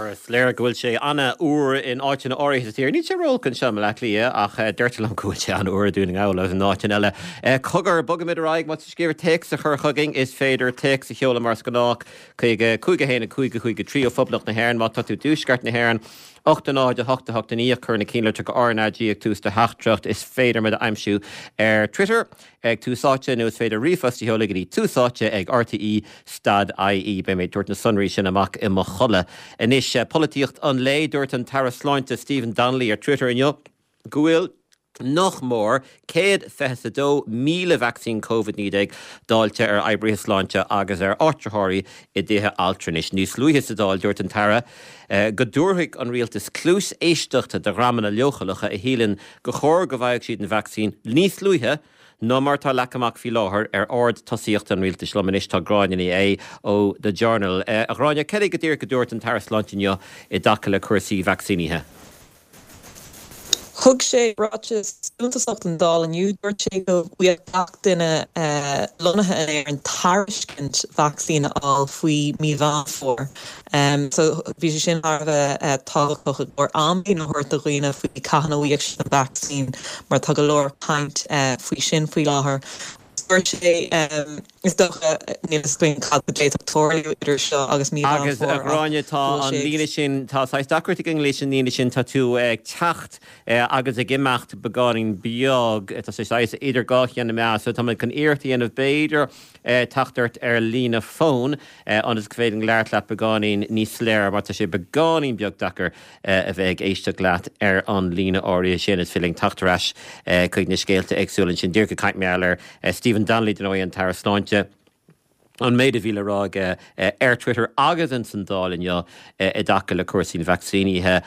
Is léir go bhfuil sé an-fhuar in áiteanna áirithe sa tír. Níl sé ró-olc anseo i mBaile Átha Cliath ach deirtear liom go bhfuil sé an-fhuar i Dún na nGall agus in áiteanna eile. Cogar, bogfaimid ar aghaidh. Má tá sibh ag iarraidh téacs a chur chugainn, is féidir téacs a sheoladh mar is gnách chuig 5 1 5 5 3 ó Phoblacht na hÉireann. Má tá tú i dTuaisceart na hÉireann, 8 0 8 8 9 cuir na cinnlitreacha RnaG ag tús do theachtaireacht. Is féidir muid a aimsiú ar Twitter. ag Tús Áite nó is féidir ríomhphost a sheoladh go dtí Tús Áite ag rte stad ie. Beidh mé ag tabhairt na sonraí sin amach i mo chodladh. Anois, polaitíocht an lae, dúirt an tAire Sláinte Stephen Donnelly ar Twitter inniu go bhfuil nach mór 122,000 vacsaín Covid-19 dáilte ar oibrithe sláinte agus ar áitritheoirí i dtithe altranais. Níos luaithe sa Dáil, dúirt an tAire go dtabharfaidh an rialtas cluas éisteachta do dhreamanna leochaileacha a shíleann gur chóir go bhfaigheadh siad an vacsaín níos luaithe ná mar atá leagtha amach faoi láthair ar ord tosaíochta an rialtais. Liom anois tá Gráinne Ní Aodha ó The Journal. A Ghráinne, cad é go díreach a dúirt an tAire Sláinte inniu i dtaca le cúrsaí vacsaínithe? Thug sé ráiteas suntasach don Dáil inniu. Dúirt sé go bhfaigheadh gach duine lonnaithe in Éirinn tairiscint vacsaín a fháil faoi mí Mheán Fómhair. So bhí sé sin thar a bheith tábhachtach i gcomhair amlíne a thabhairt do dhaoine faoi cathain a bhfaighidh siad an vacsaín mar tá go leor caint faoi sin faoi láthair. Dúirt sé, is dócha, níl fhios againn cad a d'fhéadfadh tarlú idir seo agus mí Mheán Agus a Fómhair ach Ghráinne, tá go bhfuil an sé líne sin, tá saghas deacracht againn leis an líne sin, tá tú ag teacht agus ag imeacht beagáinín beag, tá sé saghas idir dhá cheann na meá, so tá muid chun iarracht a dhéanamh b'fhéidir teacht ort ar líne fóin ionas go féidir linn labhairt leat beagáinín níos soiléire mar tá sé beagáinín beag deacair a bheith ag éisteacht leat ar an líne áirithe sin. Is féidir linn teacht ar ais chuig na scéalta éagsúla ansin. Díreach ag caint mar gheall ar Stephen Donnelly, dar ndóigh, an tAire Sláinte, an méid a bhí le rá aige ar Twitter agus ins an Dáil inniu i dtaca le cúrsaí an vacsaínithe.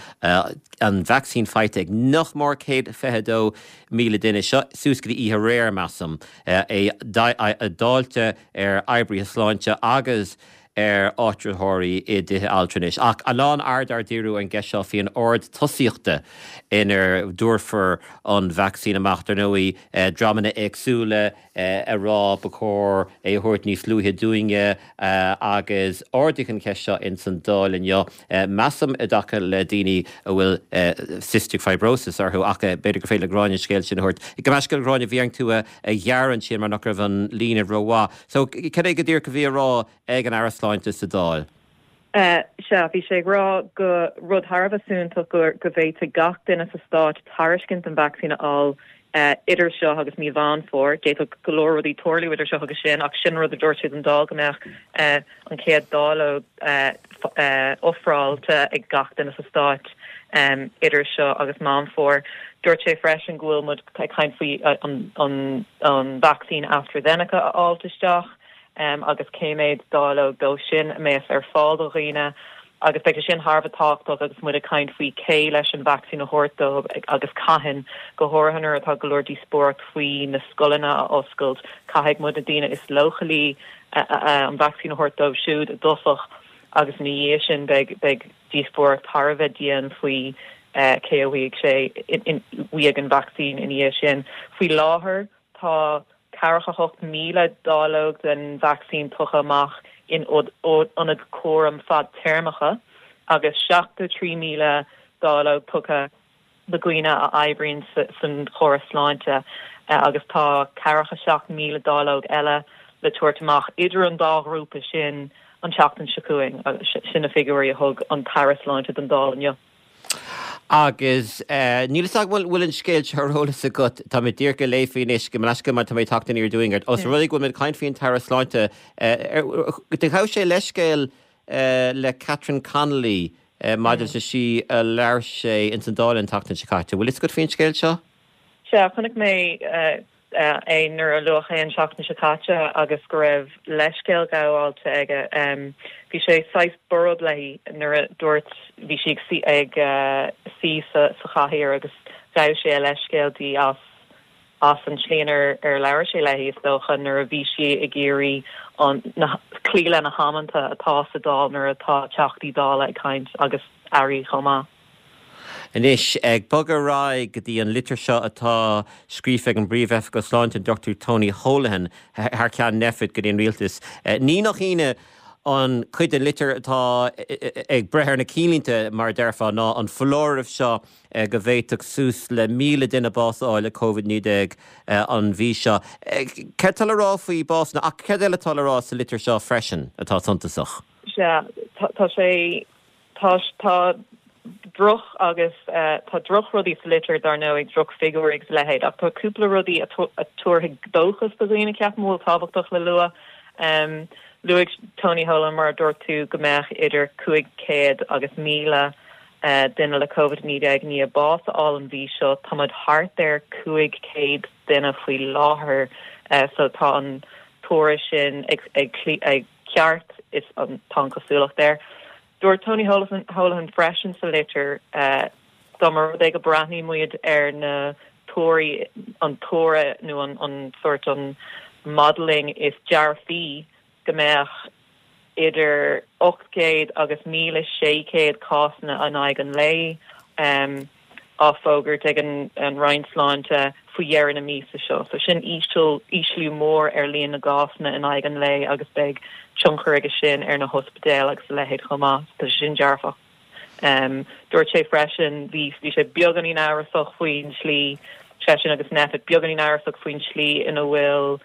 An vacsaín faighte ag nach mór 122,000 duine. Seo suas go dtí oíche aréir, measaim. É dáilte ar oibrithe sláinte agus ar áitritheoirí i dtithe altranais. Ach a lán aird á díriú ar an gceist seo faoin ord tosaíochta inar dtabharfar an vacsaín amach. Dar ndóigh, dreamanna éagsúla ag rá ba chóir é a thabhairt níos luaithe dúinne agus ardaíodh an cheist seo ins an Dáil inniu, measaim, i dtaca le daoine a bhfuil cystic fibrosis orthu ach b'fhéidir gur féidir le Gráinne an scéal sin a thabhairt. Gabh mo leithscéal a Ghráinne, bhí orainn tú a ghearradh ansin mar nach raibh an líne rómhaith. So, cad é go díreach a bhí á rá ag an Aire Sláinte sa Dáil? Sea, bhí sé ag rá go rud thar a bheith suntasach go go bhféadfaidh gach duine sa stát tairiscint an vacsaín a fháil idir seo agus mí Mheán Fómhair. D'fhéadfadh go leor rudaí tarlú idir seo agus sin ach sin rud a dúirt sé don Dáil go mbeadh an chéad dáileog ofráilte ag gach duine sa stát idir seo agus Meán Fómhair. Dúirt sé freisin go bhfuil muid ag caint faoi an vacsaín AstraZeneca a fháilt isteach agus cé mhéad dáileog dó sin a mbeas ar fáil do dhaoine agus beidh sé sin thar a bheith tábhachtach agus muid ag caint faoi cé leis an vacsaín a thabhairt dóibh agus cathain, go háirithe nuair atá go leor díospóireacht faoi na scoileanna a oscailt, caithfidh muid na daoine is leochailí an vacsaín a thabhairt dóibh siúd i dtosach agus ina dhiaidh sin beidh beidh díospóireacht thar a bheith dian faoi cé a bhfaighidh sé bhfaighidh an vacsaín ina dhiaidh sin. Faoi láthair tá 48,000 dáileog den vacsaín tugtha amach in ionaid cúraim fadtéarmacha agus 73,000 dáileog tugtha do dhaoine a oibríonn san chóras sláinte agus tá 47,000 dáileog eile le tabhairt amach idir an dá ghrúpa sin an tseachtain seo chugainn. Sin na figiúirí a thug an tAire Sláinte don Dáil inniu. Agus níl fhios agam an bhfuil an scéal seo ar eolas agat, tá mé díreach ag léamh faoi anois, gabh mo leithscéal mar tá mé ag teacht aniar aduaidh ort. Os rud é go bhfuil mé ag caint faoin tAire Sláinte, do ghabh sé leithscéal le Catherine Connolly maidir leis na slí a labhair sé ins an Dáil an tseachtain seo caite. Bhfuil fhios agat faoin scéal seo? Sea, chonaic mé é nuair a luadh é an tseachtain seo caite agus go raibh leithscéal gabháilte aige. Bhí sé saghas borb léi nuair a dúirt, bhí sí ag suí sa chathaoir agus ghabh sé a leithscéal di as as an tslí inar ar labhair sé léi, is dócha, nuair a bhí sí ag iarraidh an na cloí le na hamanta atá sa Dáil nuair atá Teachtaí Dála ag caint agus Airí chomh maith. Anois, ag bogadh ar aghaidh go dtí an litir seo atá scríofa ag an bPríomh-Oifigeach Sláinte, an Dr Tony Holohan, thar ceann Nphet go dtí an Rialtas. Ní nach ionadh. An chuid den litir atá ag breith ar na cinnlínte, mar a déarfá, ná an foláireamh seo go bhféadfadh suas le 1,000 duine bás a fháil le Covid-19 an mhí seo. Céard tá le rá faoi básanna ach céard eile atá le rá sa litir seo freisin atá suntasach? Sea, tá sé Tá, tá droch agus tá drochrudaí sa litir dar ndóigh, drochfhigiúirí agus a leithéid, ach tá cúpla rudaí a tabharfaidh dóchas do dhaoine, ceapaim, a bhfuil tábhachtach le lua. Luaigh Tony Holohan, mar a dúirt tú, go mbeadh idir 500 agus 1,000 duine le Covid-19 i ndiaidh bás a fháil an mhí seo. Tá muid thart ar 500 duine faoi láthair, so tá an tuairim sin ag ceart, is tá an chosúlacht air. Dúirt Tony Holohan freisin sa litir, dá mba rud é go breathnaíonn muid ar na tuairí, an tuaradh nó an sórt an modelling is dearfaí go mbeadh idir 800 agus 1,600 cásanna in aghaidh an lae á fógairt ag an Roinn Sláinte faoi dheireadh na míosa seo. So sin ísliú mór ar líon na gcásanna in aghaidh an lae agus beidh tionchar aige sin ar na hospidéil agus a leithéid chomh maith. Tá sé sin dearfach. Dúirt sé freisin, bhí bhí sé beagáinín amhrasach faoin tslí, seisean agus Nphet, beagáinín amhrasach faoin tslí ina bhfuil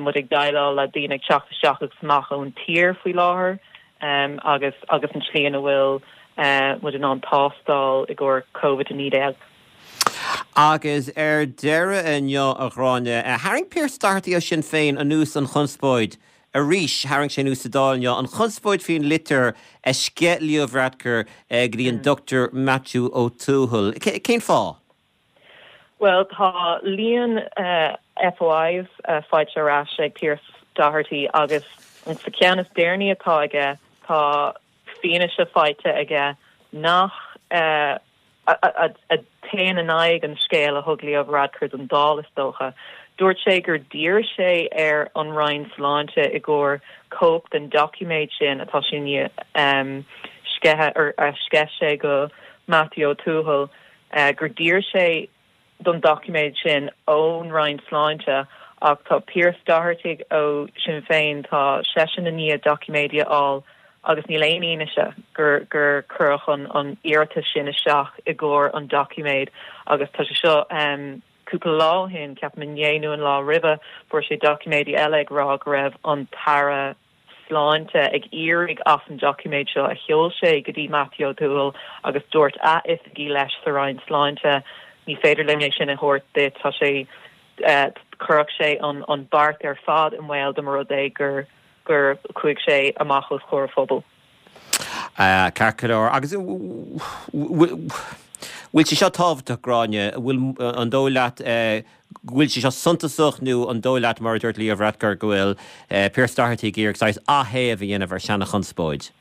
muid ag déileáil le daoine ag teacht isteach agus amach ón tír faoi láthair agus agus an tslí ina bhfuil muid in ann tástáil i gcomhair Covid-19. Agus ar deireadh inniu, a Ghráinne, tharraing Pearse Doherty ó Sinn Féin anuas an chonspóid arís. Tharraing sé anuas sa Dáil inniu an chonspóid faoin litir a sceith Leo Varadkar go dtí an Dr Maitiú Ó Tuathail. Cén fáth? Bhuel, tá líon FOIs faighte ar ais ag Pearse Doherty agus sa cheann is deireanaí atá aige, tá fianaise faighte aige nach a théann in aghaidh an scéil a thug Leo Varadkar don Dáil, is dócha. Dúirt sé gur d'iarr sé ar an Roinn Sláinte i gcomhair cóip den doiciméad sin atá sé i ndiaidh sceitheadh, a sceith sé go Matthew Ó Tuathail, gur d'iarr sé don doiciméad sin ón Roinn Sláinte ach tá Pearse Doherty ó Sinn Féin, tá seisean i ndiaidh doiciméidí a fháil agus níl aon fhianaise gur gur cuireadh an an iarratas sin isteach i gcomhair an doiciméid agus tá sé seo cúpla lá ó shin, ceapaim inné nó an lá roimhe, fuair sé doiciméidí eile ag rá go raibh an tAire Sláinte ag éirí as an doiciméad seo a sheol sé go dtí Matthew Ó Tuathail agus dúirt a oifigigh leis sa Roinn Sláinte, ní féidir linn é sin a thabhairt duit, tá sé, chuirfeadh sé an beart ar fad i mbaol dá mba rud é gur gur chuaigh sé amach os comhair an phobail. Ceart go leor. Agus bhfuil sé seo tábhachtach, Gráinne? Bhfuil, an dóigh leat go bhfuil sé seo suntasach nó an dóigh leat, mar a dúirt Leo Varadkar, go bhfuil Pearse Doherty ag iarraidh saghas aththéamh a dhéanamh ar seana-chonspóid?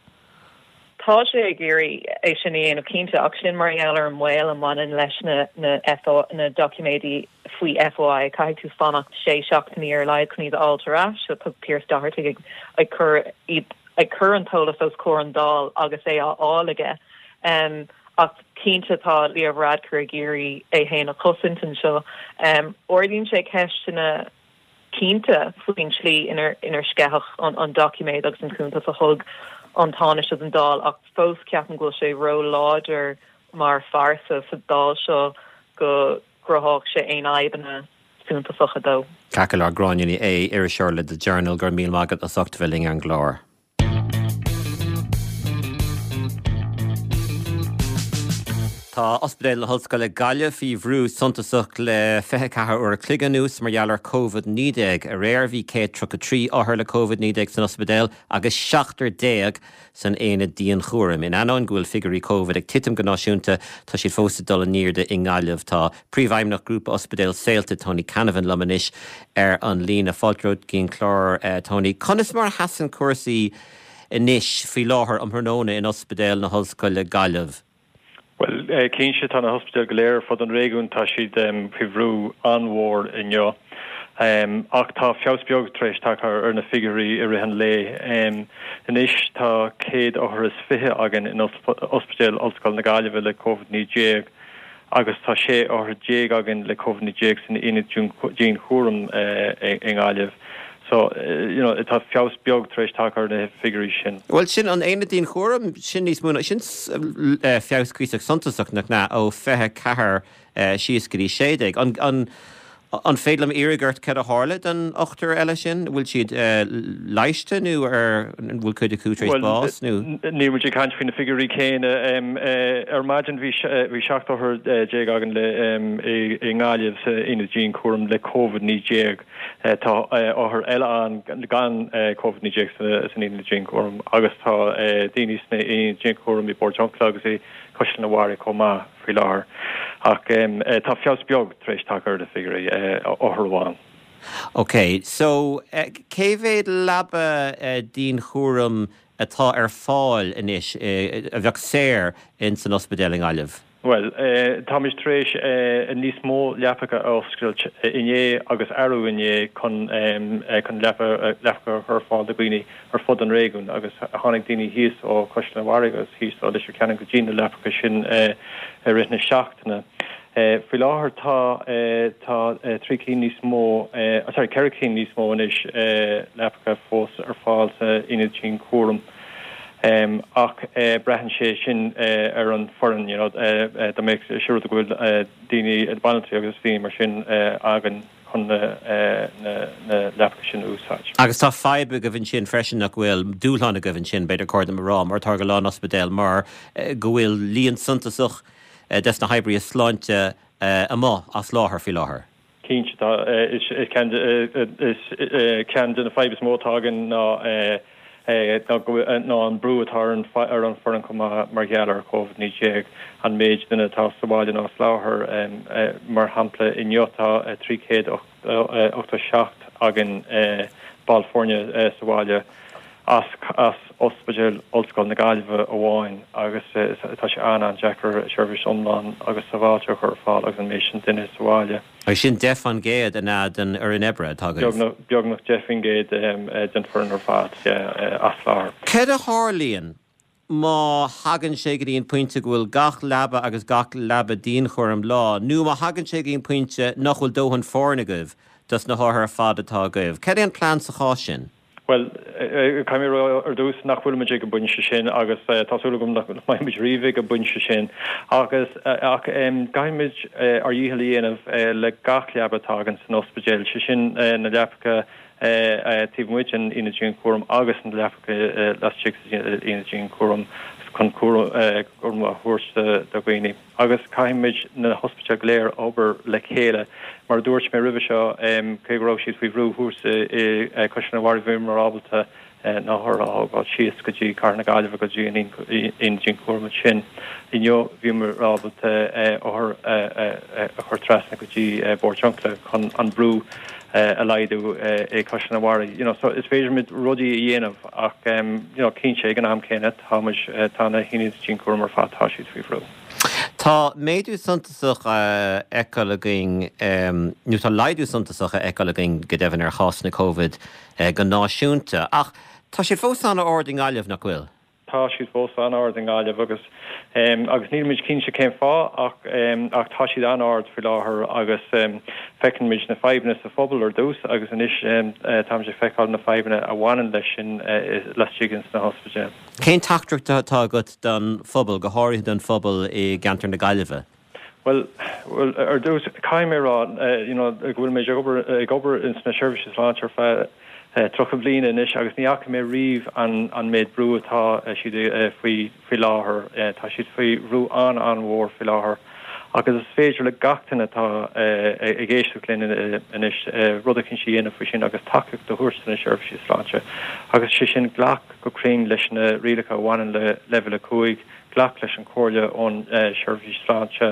Tá sé ag iarraidh é sin a dhéanamh cinnte, ach sin mar gheall ar an mbaol a mbaineann leis na na doiciméidí faoi FOI. Caithfidh tú fanacht sé seachtainí ar a laghad chun iad a fháilt ar ais, so tá Pearse Doherty ag ag cur iad ag cur an t-eolas os comhair an Dáil agus é á fháil aige. Ach cinnte tá Leo Varadkar ag iarraidh é féin a chosaint anseo. Ardaíonn sé ceisteanna cinnte faoin tslí inar inar sceitheadh an doiciméad agus an cuntas a thug an Tánaiste don Dáil ach fós ceapaim go bhfuil sé ró-láidir mar phearsa sa Dáil seo go gcruthódh sé aon fhadhbanna suntasacha dó. Ceart go leor, Gráinne Ní Aodha, iriseoir le The Journal, go raibh míle maith agat as ucht a bheith linn ar an gclár. Tá Ospidéal na hOllscoile Gaillimh faoi bhrú suntasach le 24 uair a chloig anuas mar gheall ar Covid-19. Aréir bhí 133 othar le Covid-19 san ospidéal agus seachtar déag san aonad dianchúraim. In ainneoin go bhfuil figiúirí Covid ag titim go náisiúnta, tá siad fós ag dul in airde i nGaillimh. Tá Príomhfheidhmeannach Ghrúpa Ospidéal Saolta, Tony Canavan liom anois ar an líne. Fáilte romhat go dtí an clár, Tony. Conas mar a sheasann cúrsaí anois faoi láthair um thráthnóna in Ospidéal na hOllscoile Gaillimh? Bhuel, cinnte, tá na hospidéil go léir ar fud an réigiúin, tá siad faoi bhrú an-mhór inniu. Ach tá feabhas beag tar éis tagtha ar na figiúirí i rith an lae. Anois tá 100 othar is 20 againn in Ospidéal Ollscoile na Gaillimhe le Covid-19. agus tá 16 othar againn le Covid-19 san aonad dianchúraim i nGaillimh. So, you know, tá feabhas beag tar éis tagtha ar na figiúirí sin. Bhuel, sin an aonad dianchúraim, sin níos mó ná, sin feabhas cuíosach suntasach, nach ea, ó 24 síos go dtí 16. An, an, an féidir liom iarraidh ort cad a tharla don ochtar eile sin? Bhfuil siad leighiste nó ar, an bhfuil cuid acu tar éis bás nó? Níl muid ag caint faoi na figiúirí céanna. Ar maidin bhí 17 othar againn le, i nGaillimh sa aonad dianchúraim le Covid-19. Tá othair eile ann gan Covid-19 san aonad dianchúraim agus tá daoine sna haonaid dianchúraim i bPort Truncalla agus i Caisleán an Bharraigh chomh maith faoi láthair. Ach tá feabhas beag tar éis tagtha ar na figiúirí, othar amháin. Ok, so cé mhéad leaba dianchúraim atá ar fáil anois, a bheadh saor in san ospidéal i nGaillimh? Bhuel, táimid tar éis níos mó leapacha a oscailt inné agus arú inné chun chun leapacha a chur ar fáil do dhaoine ar fud an réigiúin agus tháinig daoine thíos ó Chaisleán an Bharraigh agus thíos ó Leitir Ceanainn go dtí na leapacha sin i rith na seachtaine. Faoi láthair tá tá 3 cinn níos mó, sorry, 4 cinn níos mó anois leapacha fós ar fáil sa aonad dianchúraim. Ach braitheann sé sin ar an foireann, you know, dá mbeadh sé rud go bhfuil daoine, banaltraí agus daoine mar sin againn chun na leapacha sin a úsáid. Agus tá fadhb agaibh ansin freisin nach bhfuil, dúshlán agaibh ansin, b'fhéidir chóir dom a rá, mar atá ag a lán ospidéal, mar go bhfuil líon suntasach des na hoibrithe sláinte amuigh as láthair faoi láthair. Cinnte, tá. Is ceann de na fadhb is mó atá againn ná ná an brú atá ar an foireann chomh maith mar gheall ar Covid-19, an méid duine atá sa bhaile nó as láthair. Mar shampla, inniu tá 387 againn ball foirne sa bhaile as Ospidéal Ollscoil na Gaillimhe amháin agus tá sé an-an-deacair seirbhís iomlán agus sábháilte a chur ar fáil agus an méid sin duine sa bhaile. Agus sin 10% an ea den fhoireann oibre atá agaibh? Beagnach 10% den foireann ar fad, yeah, as láthair. Céard a tharlaíonn má thagann sé go dtí an pointe go bhfuil gach leaba agus gach leaba dianchúraim lán, nó má thagann sé go dtí an pointe nach bhfuil dóthain foirne agaibh dos na hothair ar fad atá agaibh? Céard é an plean sa chás sin? Bhuel, caithfidh mé a rá ar dtús nach bhfuilimid ag an bpointe sin agus tá súil agam nach mbeimid riamh ag an bpointe sin. Agus, ach caithfimid ár dhícheall a dhéanamh le gach leaba atá againn san ospidéal, sé sin na leapacha taobh amuigh den aonad dianchúraim agus na leapacha laistigh den aonad dianchúraim chun cúram a thabhairt do dhaoine. Agus caithfimid na hospidéil go léir obair le chéile. Mar a dúirt mé roimhe seo, cé go raibh siad faoi bhrú thuas i gCaisleán an Bharraigh bhíomar ábalta na hothair a thógáil síos go dtí Cathair na Gaillimhe go dtí an aonad dianchúraim ansin. Inniu bhíomar ábalta othair a chur trasna go dtí Bord Truncalla chun an brú a laghdú i gCaisleán an Bharraigh. You know, so is féidir muid rudaí a dhéanamh ach you know, cinnte ag an am céanna tá muid, tá na haonaid dianchúraim ar fad, tá siad faoi bhrú. Tá méadú suntasach á fheiceáil againn, nó tá laghdú suntasach á fheiceáil againn go deimhin ar chásanna Covid go náisiúnta, ach tá siad fós an-ard i nGaillimh, nach bhfuil? Tá siad fós an-ard i nGaillimh agus agus nílimid cinnte cén fáth ach ach tá siad an-ard faoi láthair agus feiceann muid na fadhbanna sa phobal ar dtús agus anois táimid ag feiceáil na fadhbanna a bhaineann leis sin laistigh ins na hospidéil. Cén teachtaireacht atá agat don phobal, go háirithe don phobal i gceantar na Gaillimhe? Bhuel, bhuel, ar dtús, caithfidh mé a rá, you know, go bhfuil mé ag obair, ag obair ins na seirbhísí sláinte ar feadh 30 bliain anois agus ní fhaca mé riamh an, an méid brú atá siad faoi, faoi láthair. Tá siad faoi bhrú an-an-mhór faoi láthair agus is féidir le gach duine atá ag éisteacht linn anois rud eicínt a dhéanamh faoi sin agus tacaíocht a thabhairt do na seirbhísí sláinte agus sé sin glac go cruinn leis na rialacha a bhaineann le Leibhéal 5, Glac leis an chomhairle ón seirbhís sláinte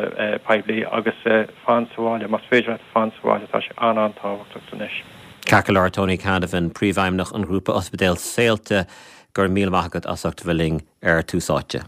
poiblí agus fan sa bhaile. Más féidir leat fan sa bhaile, tá sé an-an-tábhachtach anois. Ceart go leor, Tony Canavan, Príomhfheidhmeannach an Ghrúpa Ospidéal Saolta, go raibh míle maith agat as ucht a bheith linn ar Tús Áite.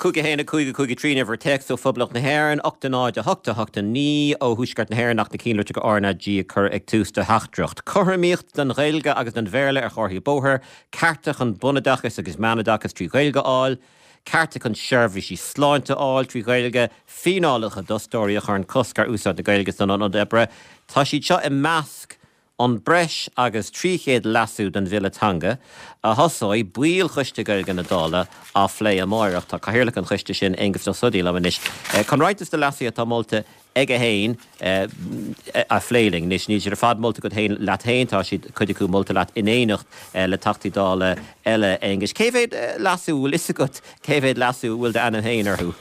5 1 5 5 3 an uimhir téacs ó Phoblacht na hÉireann, 8 0 8 8 9 ó Thuaisceart na hÉireann ach na cinnlitreacha RnaG a chur ag tús do theachtaireacht. Cothromaíocht don Ghaeilge agus don Bhéarla ar chomharthaí bóthair, cearta chun bunoideachas agus meánoideachas trí Ghaeilge a fháil. Cearta chun seirbhísí sláinte a fháil trí Ghaeilge, fíneálacha d'fhostóirí a chuireann cosc ar úsáid na Gaeilge san ionad oibre, tá siad seo i measc an breis agus 300 leasú don Bhille Teanga a thosóidh baill Choiste Gaeilge na Dála á phlé amáireach. Tá Cathaoirleach an choiste sin, Aengus Ó Snodaigh, liom anois chun roinnt de na leasuithe atá molta aige féin a phlé linn. Anois, níl siad ar fad molta agat féin, leat féin, tá siad, cuid acu molta leat in éineacht le Teachtaí Dála eile, Aengus. Cé mhéad leasú, bhfuil fhios agat cé mhéad leasú a bhfuil d'ainm féin orthu?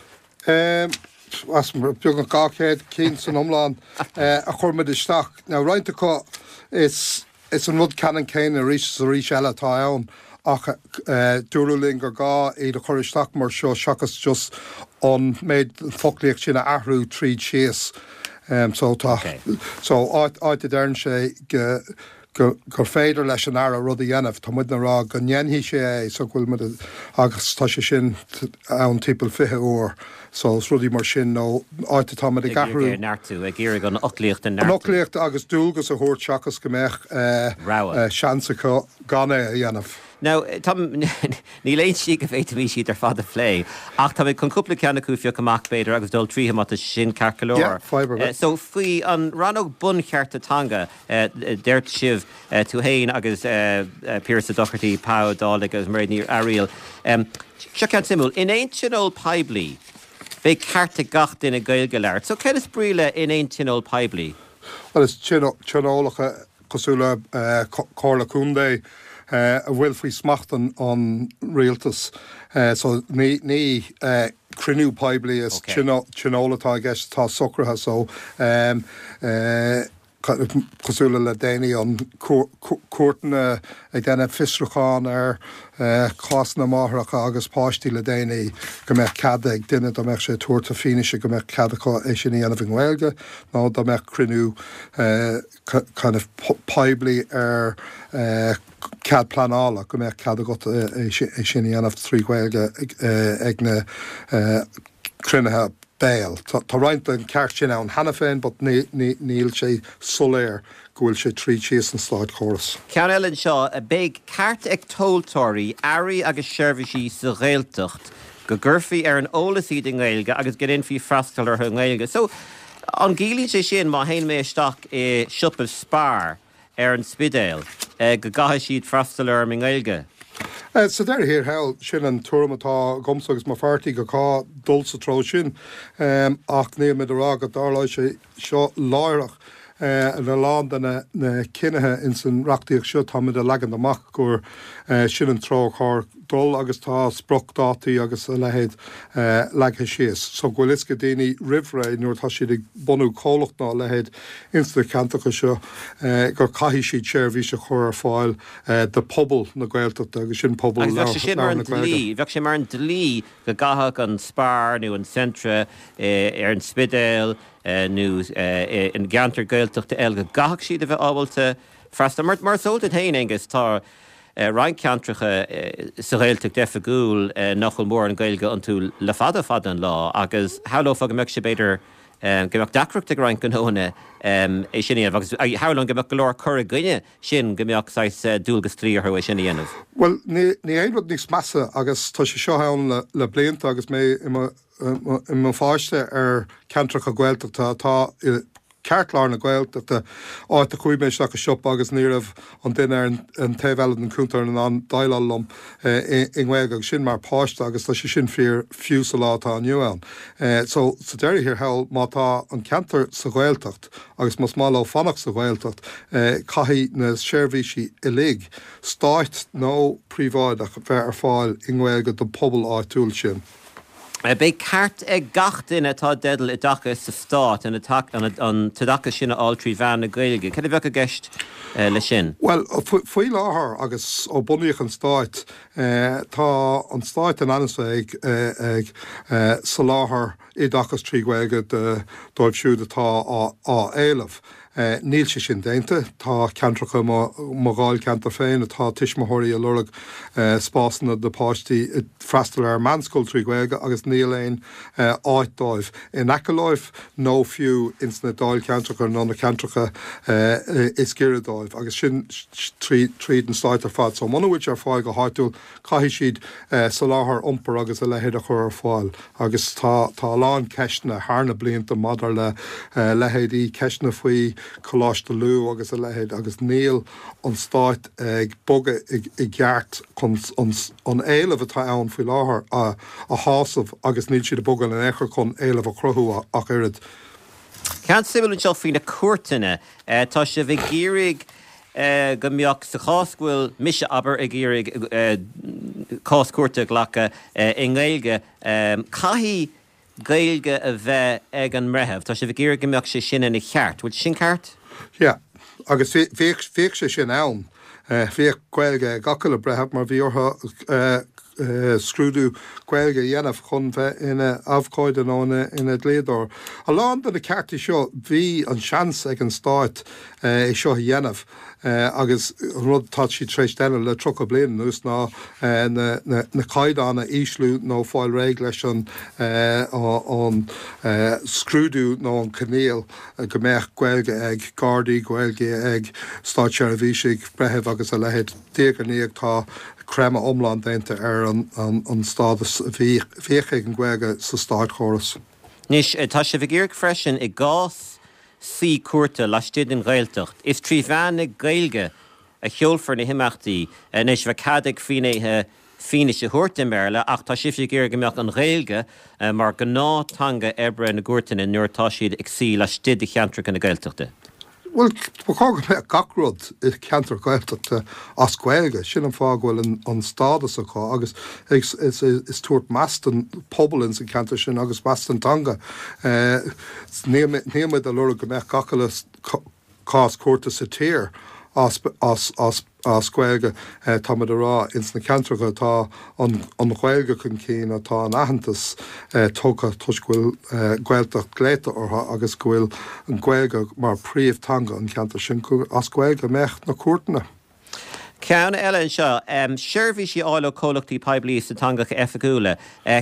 Beagnach 200 cinn san iomlán a chuir muid isteach. Now, roinnt acu is is an rud ceannann céanna arís is arís eile atá ann ach dúradh linn gur gá iad a chur isteach mar seo seachas just an méid foclaíocht sin a athrú tríd síos. So tá so áit áit a deireann sé go go gur féidir leis an Aire rud a dhéanamh, tá muidne ag rá go ndéanfaidh sé é so go bhfuil muid agus tá sé sin ann timpeall 20 uair so is rudaí mar sin nó áit atá muid ag athrú. Ag iarraidh é a neartú, ag iarraidh an fhoclaíocht a neartú. An fhoclaíocht agus dualgas a thabhairt seachas go mbeadh Rogha. seans acu gan é a dhéanamh. Now, tá, níl aon slí go bhféadfaimis iad ar fad a phlé, ach tá mé chun cúpla ceann acu a phiocadh amach, b'fhéidir, agus dul tríothu má tá sé sin ceart go leor. Yeah, fadhb ar bith. So, faoi an rannóg bunchearta teanga, deir sibh, tú féin agus Pearse Doherty, Pa Ó Dálaigh agus Mairéad Ní Fhearaíl, seo ceann suimiúil, in aon tionól poiblí, beidh ceart ag gach duine Gaeilge a labhairt. So, céard is brí le in aon tionól poiblí? Bhuel, is tionólacha cosúil le Comhairle Contae a bhfuil faoi smacht an rialtais. So ní cruinniú poiblí, is tionól atá i gceist atá socraithe. So cosúil le le déanaí an cúirteanna ag déanamh fiosrúchán ar cásanna máithreacha agus páistí le déanaí go mbeadh cead ag duine dá mbeadh sé ag tabhairt a fianaise go mbeadh cead acu é sin a dhéanamh i nGaeilge nó dá mbeadh cruinniú kind of poiblí ar cead pleanála, go mbeadh cead agat é sin a dhéanamh trí Ghaeilge ag na cruinnithe béil. Tá roinnt den cheart sin ann cheana féin but níl sé soiléir go bhfuil sé tríd síos an státchóras. Ceann eile anseo, beidh ceart ag tomhaltóirí earraí agus seirbhísí sa Ghaeltacht go gcuirfí ar an eolas iad i nGaeilge agus go ndéanfaí freastal orthu i nGaeilge. So, An gciallaíonn sé sin, má théann mé isteach i siopa Spar ar an Spidéal, go gcaithfidh siad freastal orm i nGaeilge? Sa deireadh thiar thall, sin an tuairim atá agamsa agus mo pháirtí, go gcaithfidh dul sa treo sin. Ach níl muid ag rá go dtarlóidh sé seo láithreach. In a lán de na cinnithe ins an reachtaíocht seo, tá muid ag leagan amach gur sin an treo ar chóir dul agus tá spriocdhátaí agus a leithéid leagtha síos so go bhfuil fhios ag daoine roimh ré nuair atá siad ag bunú comhlacht ná a leithéid ins na ceantracha seo gur caithfidh siad seirbhís a chur ar fáil do phobal na Gaeltachta agus sin pobal Agus bheadh sé sin mar labhartha an na Gaeilge. dlí, bheadh sé mar an dlí go gcaithfeadh an Spar nó an Centra ar an Spidéal nó i gceantar Gaeltachta eile go gcaithfeadh siad a bheith ábalta freastal. Mar is eol duit féin, Aengus, tá roinnt ceantracha sa Ghaeltacht oifigiúil nach bhfuil mórán Gaeilge iontu le fada fada an lá agus shamhlófá go mbeadh sé b'fhéidir go mbeadh deacracht ag roinnt gnóanna é sin a dhéanamh agus shamhlóinn go mbeadh go leor cur i gcoinne sin go mbeadh saghas dualgas dlí orthu é sin a dhéanamh. Bhuel, ní aon rud níos measa agus tá sé seo ann le blianta agus mé i mo i mo pháiste ar cheantracha Gaeltachta atá i gceartlár na Gaeltachta, áit a chuaigh mé isteach i siopa agus ní raibh an duine ar an taobh eile den chuntar in ann déileáil liom i nGaeilge agus sin mar pháiste agus tá sé sin fíor fiú sa lá atá inniu ann. So sa deireadh thiar thall má tá an ceantar sa Ghaeltacht agus más maith leo fanacht sa Ghaeltacht caithfidh na seirbhísí uilig, stáit nó príobháideach, bheith ar fáil i nGaeilge don pobal áitiúil sin. Beidh ceart ag gach duine atá i dteideal oideachais sa Stát an t-oideachas sin a fháil trí mheán na Gaeilge. Cad a bheadh i gceist leis sin? Bhuel, faoi láthair agus ó bunaíodh an Stát, tá an Stát in ainm is a bheith ag soláthar. oideachas trí Ghaeilge dóibh siúd atá á éileamh. Níl sé sin déanta. Tá ceantracha i mo dháilcheantar féin atá tuismitheoirí ag lorg spásanna do páistí freastal ar meánscoil trí Ghaeilge agus níl aon áit dóibh in aice leo nó fiú ins na dáilcheantracha nó na ceantracha is giorra dóibh agus sin tríd an stáit ar fad. So muna bhfuil sé ar fáil go háitiúil Caithfidh siad soláthar iompair agus a leithéid a chur ar fáil agus tá tá a lán ceisteanna thar na blianta maidir le leithéidí, ceisteanna faoi Choláiste Lú agus a leithéid agus níl an Stát ag bogadh i gceart chun an éileamh atá ann faoi láthair a shásamh agus níl siad ag bogadh in aon chor chun éileamh a chruthú ach oiread. Ceann suimiúil anseo faoi na cúirteanna. Tá sibh ag iarraidh go mbeadh, sa chás go bhfuil mise, abair, ag iarraidh cás cúirte a ghlacadh i nGaeilge, caithfidh Gaeilge a bheith ag an mbreitheamh. Tá sibh ag iarraidh go mbeadh sé sin ina cheart. Bhfuil sé sin ceart? Yeah. Agus bhíodh sé sin ann. Bhíodh Gaeilge ag gach uile breitheamh mar bhí orthu scrúdú Gaeilge a dhéanamh chun bheith ina abhcóide nó ina dlíodóir. A lán de na cearta seo, bhí an seans ag an Stát é seo a dhéanamh agus an rud atá siad tar éis déanamh le 30 bliain anuas ná na caighdeáin a ísliú nó fáil réidh leis an scrúdú nó an coinníoll go mbeadh Gaeilge ag Gardaí, Gaeilge ag státseirbhísigh, breithimh agus a leithéid. Diaidh ar ndiaidh tá creimeadh iomlán déanta ar an stádas a bhíodh ag an Ghaeilge sa státchóras. Anois, tá sibh ag iarraidh freisin, i gcás suí cúirte laistigh den Ghaeltacht, is trí mheán na Gaeilge a sheolfar na himeachtaí. Anois, bheadh cead ag finnéithe fianaise a thabhairt i mBéarla ach tá sibhse ag iarraidh go mbeadh an Ghaeilge mar ghnáth-theanga oibre na gcúirteanna nuair atá siad ag suí laistigh de cheantracha na Gaeltachta. Bhuel, ba chóir go mbeadh gach rud i gceantar Gaeltachta as Gaeilge. Sin an fáth go bhfuil an stádas acu agus is tabhairt meas don pobal ins an cheantar sin agus meas don teanga. Níl muid ag lorg go mbeadh gach uile cás cúirte sa tír as as Gaeilge. Tá muid ag rá ins na ceantracha atá an Ghaeilge chun cinn, atá an aitheantas tugtha toisc go bhfuil Gaeltacht glaoite orthu agus go bhfuil an Ghaeilge mar príomh-teanga an cheantair sin, gur as Gaeilge a mbeadh na cúirteanna. Ceann eile anseo, seirbhísí a fháil ó chomhlachtaí poiblí sna teangacha oifigiúla.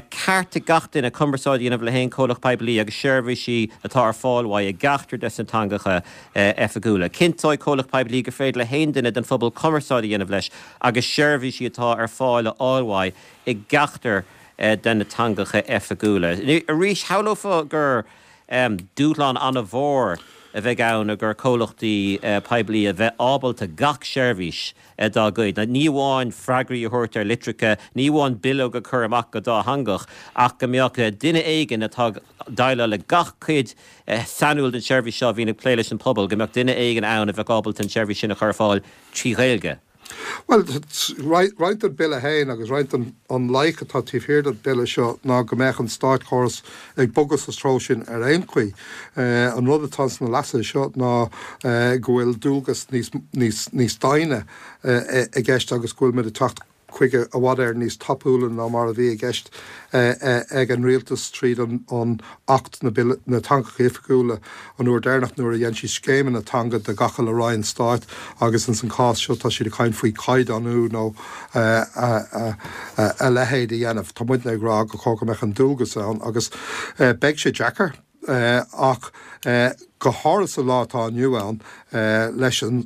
Ceart ag gach duine cumarsáid a dhéanamh le haon chomhlacht poiblí agus seirbhísí atá ar fáil uaidh i gceachtar des na teangacha oifigiúla. Cinnteoidh comhlacht poiblí gur féidir le haon duine den phobal cumarsáid a dhéanamh leis agus seirbhísí atá ar fáil a fháil uaidh i gceachtar de na teangacha oifigiúla. Arís, shamhlófá gur dúshlán an-mhór a bheidh ann i gcomhair comhlachtaí poiblí a bheith ábalta gach seirbhís dá gcuid, ní amháin freagraí a thabhairt ar litreacha, ní amháin bileog a chur amach go dátheangach, ach go mbeadh duine éigin atá ag déileáil le gach cuid sainiúil den tseirbhís seo a bhíonn ag plé leis an pobal, go mbeadh duine éigin ann a bheadh ábalta an tseirbhís sin a chur ar fáil trí Ghaeilge. Bhuel, roinnt den Bille féin agus roinnt den an loighic atá taobh thiar den Bille seo ná go mbeadh an státchóras ag bogadh sa treo sin ar aon chaoi. An rud atá sna leasuithe seo ná go bhfuil dualgas níos, níos, níos doimhne i gceist agus go bhfuil muid ag teacht chuige i bhfad Éireann níos tapúla ná mar a bhí i gceist ag an rialtas tríd an Acht na dTeangacha Oifigiúla an uair deireanach nuair a dhein siad scéimeanna teanga do gach uile roinn stáit agus ins an chás seo tá siad ag caint faoi chaighdeánú nó a leithéid a dhéanamh. Tá muidne ag rá go chóir go mbeadh an dualgas ann agus beidh sé deacair ach go háirithe sa lá atá inniu ann leis an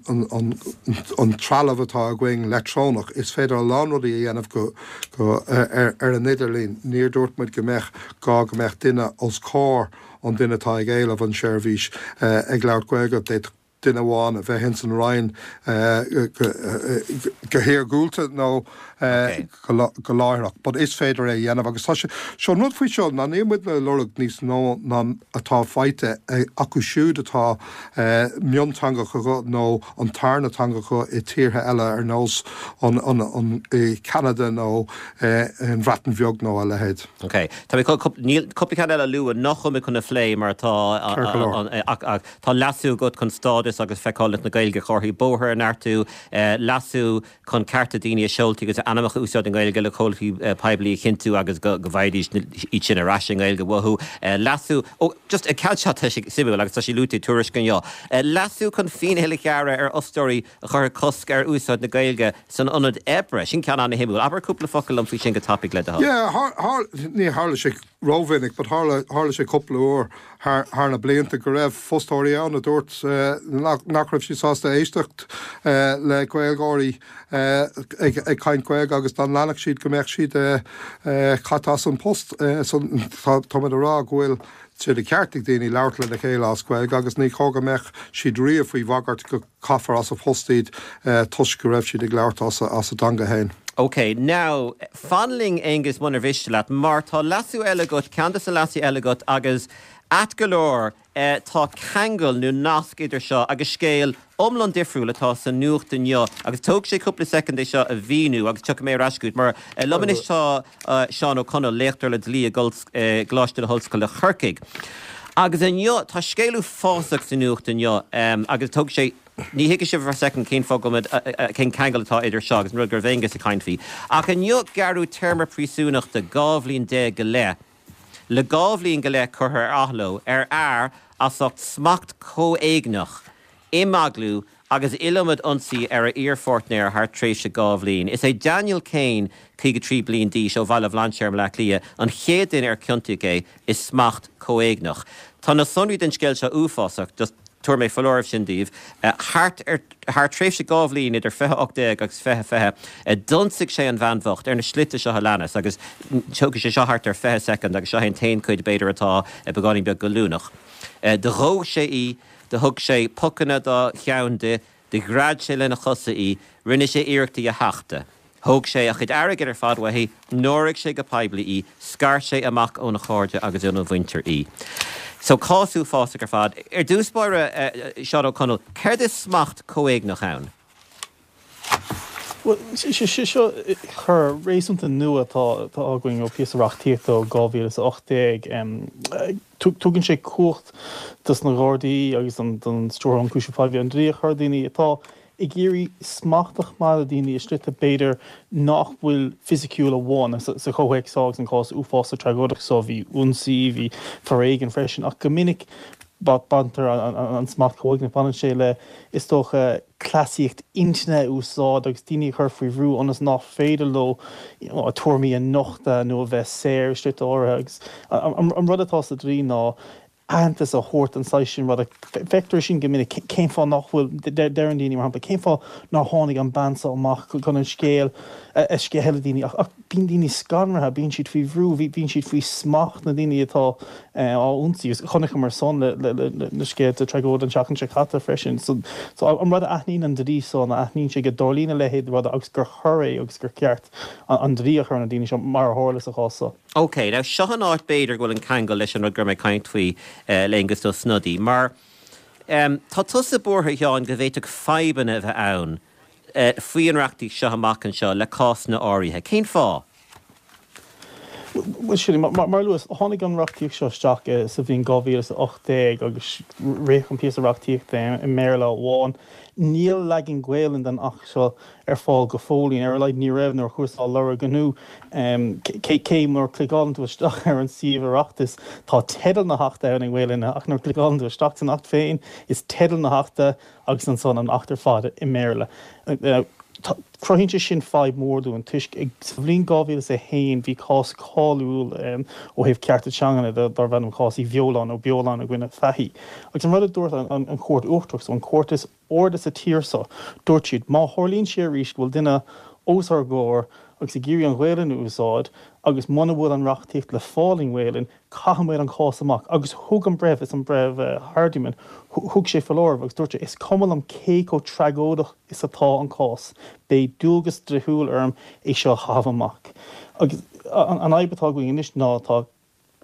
trealamh atá againn leictreonach is féidir a lán rudaí a dhéanamh go ar an idirlíon. Níor dúirt muid go mbeadh gá go mbeadh duine os comhair an duine atá ag éileamh an seirbhís ag labhairt Gaeilge. D'fhéadfadh duine amháin a bheith ins an Roinn go hiargúlta nó go láithreach. But is féidir é a dhéanamh agus tá sé, seo an rud faoi seo ná níl muidne ag lorg níos mó ná atá faighte acu siúd atá mionteanga acu nó an tarna teanga acu i tíortha eile ar nós an an i Ceanada nó an Bhreatain Bheag nó a leithéid. Ok. Tá mé chun, níl, cúpla ceann eile a lua nach bhfuil mé chun a phlé mar tá, ach tá leasú agat chun stádas. stádas agus feiceálacht na Gaeilge ar chomharthaí bóthair a neartú, leasú chun cearta daoine a seoltaí agus a ainmneacha a úsáid i nGaeilge le comhlachtaí poiblí a chinntiú agus go bhfaighidís iad sin ar ais i nGaeilge uathu, leasú, ó, just an ceann seo tá sé suimiúil agus tá sé luaite i dtuairisc inniu, leasú chun fíneáil a ghearradh ar fhostóirí a chuirfeadh cosc ar úsáid na Gaeilge san ionad oibre. Sin ceann an-shuimiúil. Abair cúpla focal liom faoi sin go tapaidh le do thoil. Yeah, ní tharla sé rómhinic but tharla, tharla sé cúpla uair thar, thar na blianta go raibh fostóirí ann a dúirt nach, nach raibh siad sásta éisteacht le Gaeilgeoirí ag, ag caint Gaeilge agus dá leanfadh siad go mbeadh siad caite as an post. So tá, táimid a rá go bhfuil sé de cheart ag daoine labhairt lena chéile as Gaeilge agus ní chóir go mbeadh siad riamh faoi bhagairt go caithfear as a bpost iad toisc go raibh siad ag labhairt as a dteanga féin. Ok, now, fan linn Aonghus munar mhiste leat, mar tá leasú eile agat, ceann de na leasuithe eile agat agus ait go leor tá ceangal nó nasc idir seo agus scéal iomlán difriúil atá sa nuacht inniu agus tógfaidh sé cúpla soicind é seo a mhíniú agus tiocfaidh mé ar ais chugat mar liom anois tá Seán Ó Conaill, léachtóir le dlí i gColáiste na hOllscoile Corcaigh. Agus inniu, tá scéal uafásach sa nuacht inniu agus tógfaidh sé, ní thuigfidh sibh ar soicind cén fáth go bhfuil muid, cén ceangal atá idir seo agus an rud go raibh Aonghus ag caint faoi. Ach inniu gearradh téarma príosúnachta 12 bhliain go leith, le 12 bhliain go leith curtha ar athló ar fhear as ucht smacht comhéigneach, imeaglú agus iliomad ionsaí ar a iarpháirtnéir thar tréimhse 2 bhliain. Is é Daniel Kane, 53 bliain d'aois, ó Bhaile Bhlainséir i mBleá Cliath, an chéad duine ar ciontaíodh é i smacht comhéigneach. Tá na sonraí den scéal seo uafásach, just tabharfaidh mé foláireamh sin daoibh. Thart ar thar tréimhse 2 bhliain idir 2018 agus 2020, d'ionsaigh sé an bhean bhocht ar na slite seo a leanas agus tógfaidh sé seo thart ar 20 soicind agus seo é an t-aon chuid b'fhéidir atá beagáinín beag goilliúnach. Do dhóigh sé í. Do thug sé pocanna dá cheann di, do ghread sé lena chosa í, rinne sé iarracht í a thachtadh. Thóg sé a chuid airgid ar fad uaithi, náirigh sé go poiblí í, scair sé amach óna chairde agus óna mhuintir í. So, cás uafásach ar fad. Ar dtús báire, Seán Ó Conaill, céard is smacht comhéigneach ann? Bhuel, seo coir réasúnta nua atá againn ó phíosa reachtaíochta ó 2018. Tugann sé cumhacht dos na Gardaí agus don Stiúrthóir Ionchúiseamh Poiblí an dlí a chur ar dhaoine atá ag iarraidh smacht a choimeád ar dhaoine i slite b'fhéidir nach bhfuil fisiciúil amháin. Sa chomhthéacs seo agus an cás uafásach tragóideach seo bhí ionsaí, bhí foréigean freisin ach go minic baintear an smacht comhéigneach, baineann sé le, is dócha, cleasaíocht intinne a úsáid agus daoine a chur faoi bhrú ionas nach féidir leo a tuairimí a nochtadh nó a bheith saor i slite áirithe. Agus an rud atá sa dlí ná aitheantas a thabhairt don saghas sin ruda. Feictear é sin go minic. Cén fáth nach bhfuil, deireann daoine, mar shampla, cén fáth nár tháinig an bean seo amach chun an scéal a sceitheadh le daoine? Ach bíonn daoine scanraithe, bíonn siad faoi bhrú, bíonn siad faoi smacht na ndaoine atá á ionsaí. Agus chonaiceamar san le na scéalta tragóide an tseachtain seo caite freisin. So an rud a aithníonn an dlí seo ná aithníonn sé go dtarlaíonn a leithéid de ruda agus gur choir é agus gur ceart an dlí a chur ar na daoine seo mar a tharla sa chás seo. Ok, now seo an áit b'fhéidir go bhfuil an ceangal leis an rud go raibh mé ag caint faoi le Aengus Ó Snodaigh mar tá tusa buartha, a Sheáin, go bhféadfadh fadhbanna a bheith ann faoi an reachtaíocht seo amach anseo le cásanna áirithe. Cén fáth? Bhuel, sin, mar a luas, tháinig an reachtaíocht seo isteach sa bhliain 2018 agus ritheadh an píosa reachtaíochta i mBéarla amháin. Níl leagan Gaelainne den Acht seo ar fáil go fóillín, ar a laghad ní raibh nuair a chuas á lorg inniu. Cé nuair a chliceálann tú isteach ar an suíomh Oireachtais, tá teideal na hAchta ann i nGaelainn ach nuair a chliceálann tú isteach san Acht féin, is teideal na hAchta agus ansan an Acht ar fad i mBéarla. Cruthaíonn sé sin fadhb mhór dúinn toisc sa bhliain 2001 bhí cás cáiliúil ó thaobh cearta teangan de darbh ainm cás Uí Bheoláin nó Beoláin i gcoinne Fahy. Agus an rud a dúirt an Chúirt Uachtarach, so an chúirt is airde sa tír seo, dúirt siad má tharlaíonn sé arís go bhfuil duine os ár gcomhair agus ag iarraidh an Ghaelainn a úsáid agus muna bhfuil an reachtaíocht le fáil i nGaelainn, Caithfidh muid an cás amach. Agus thug an breitheamh, is an breitheamh Hardiman, thug sé foláireamh agus dúirt sé, is cuma liom cé chomh tragóideach is atá an cás, beidh dualgas dlíthiúil orm é seo a chaitheamh amach. Agus an fhadhb atá againn anois ná tá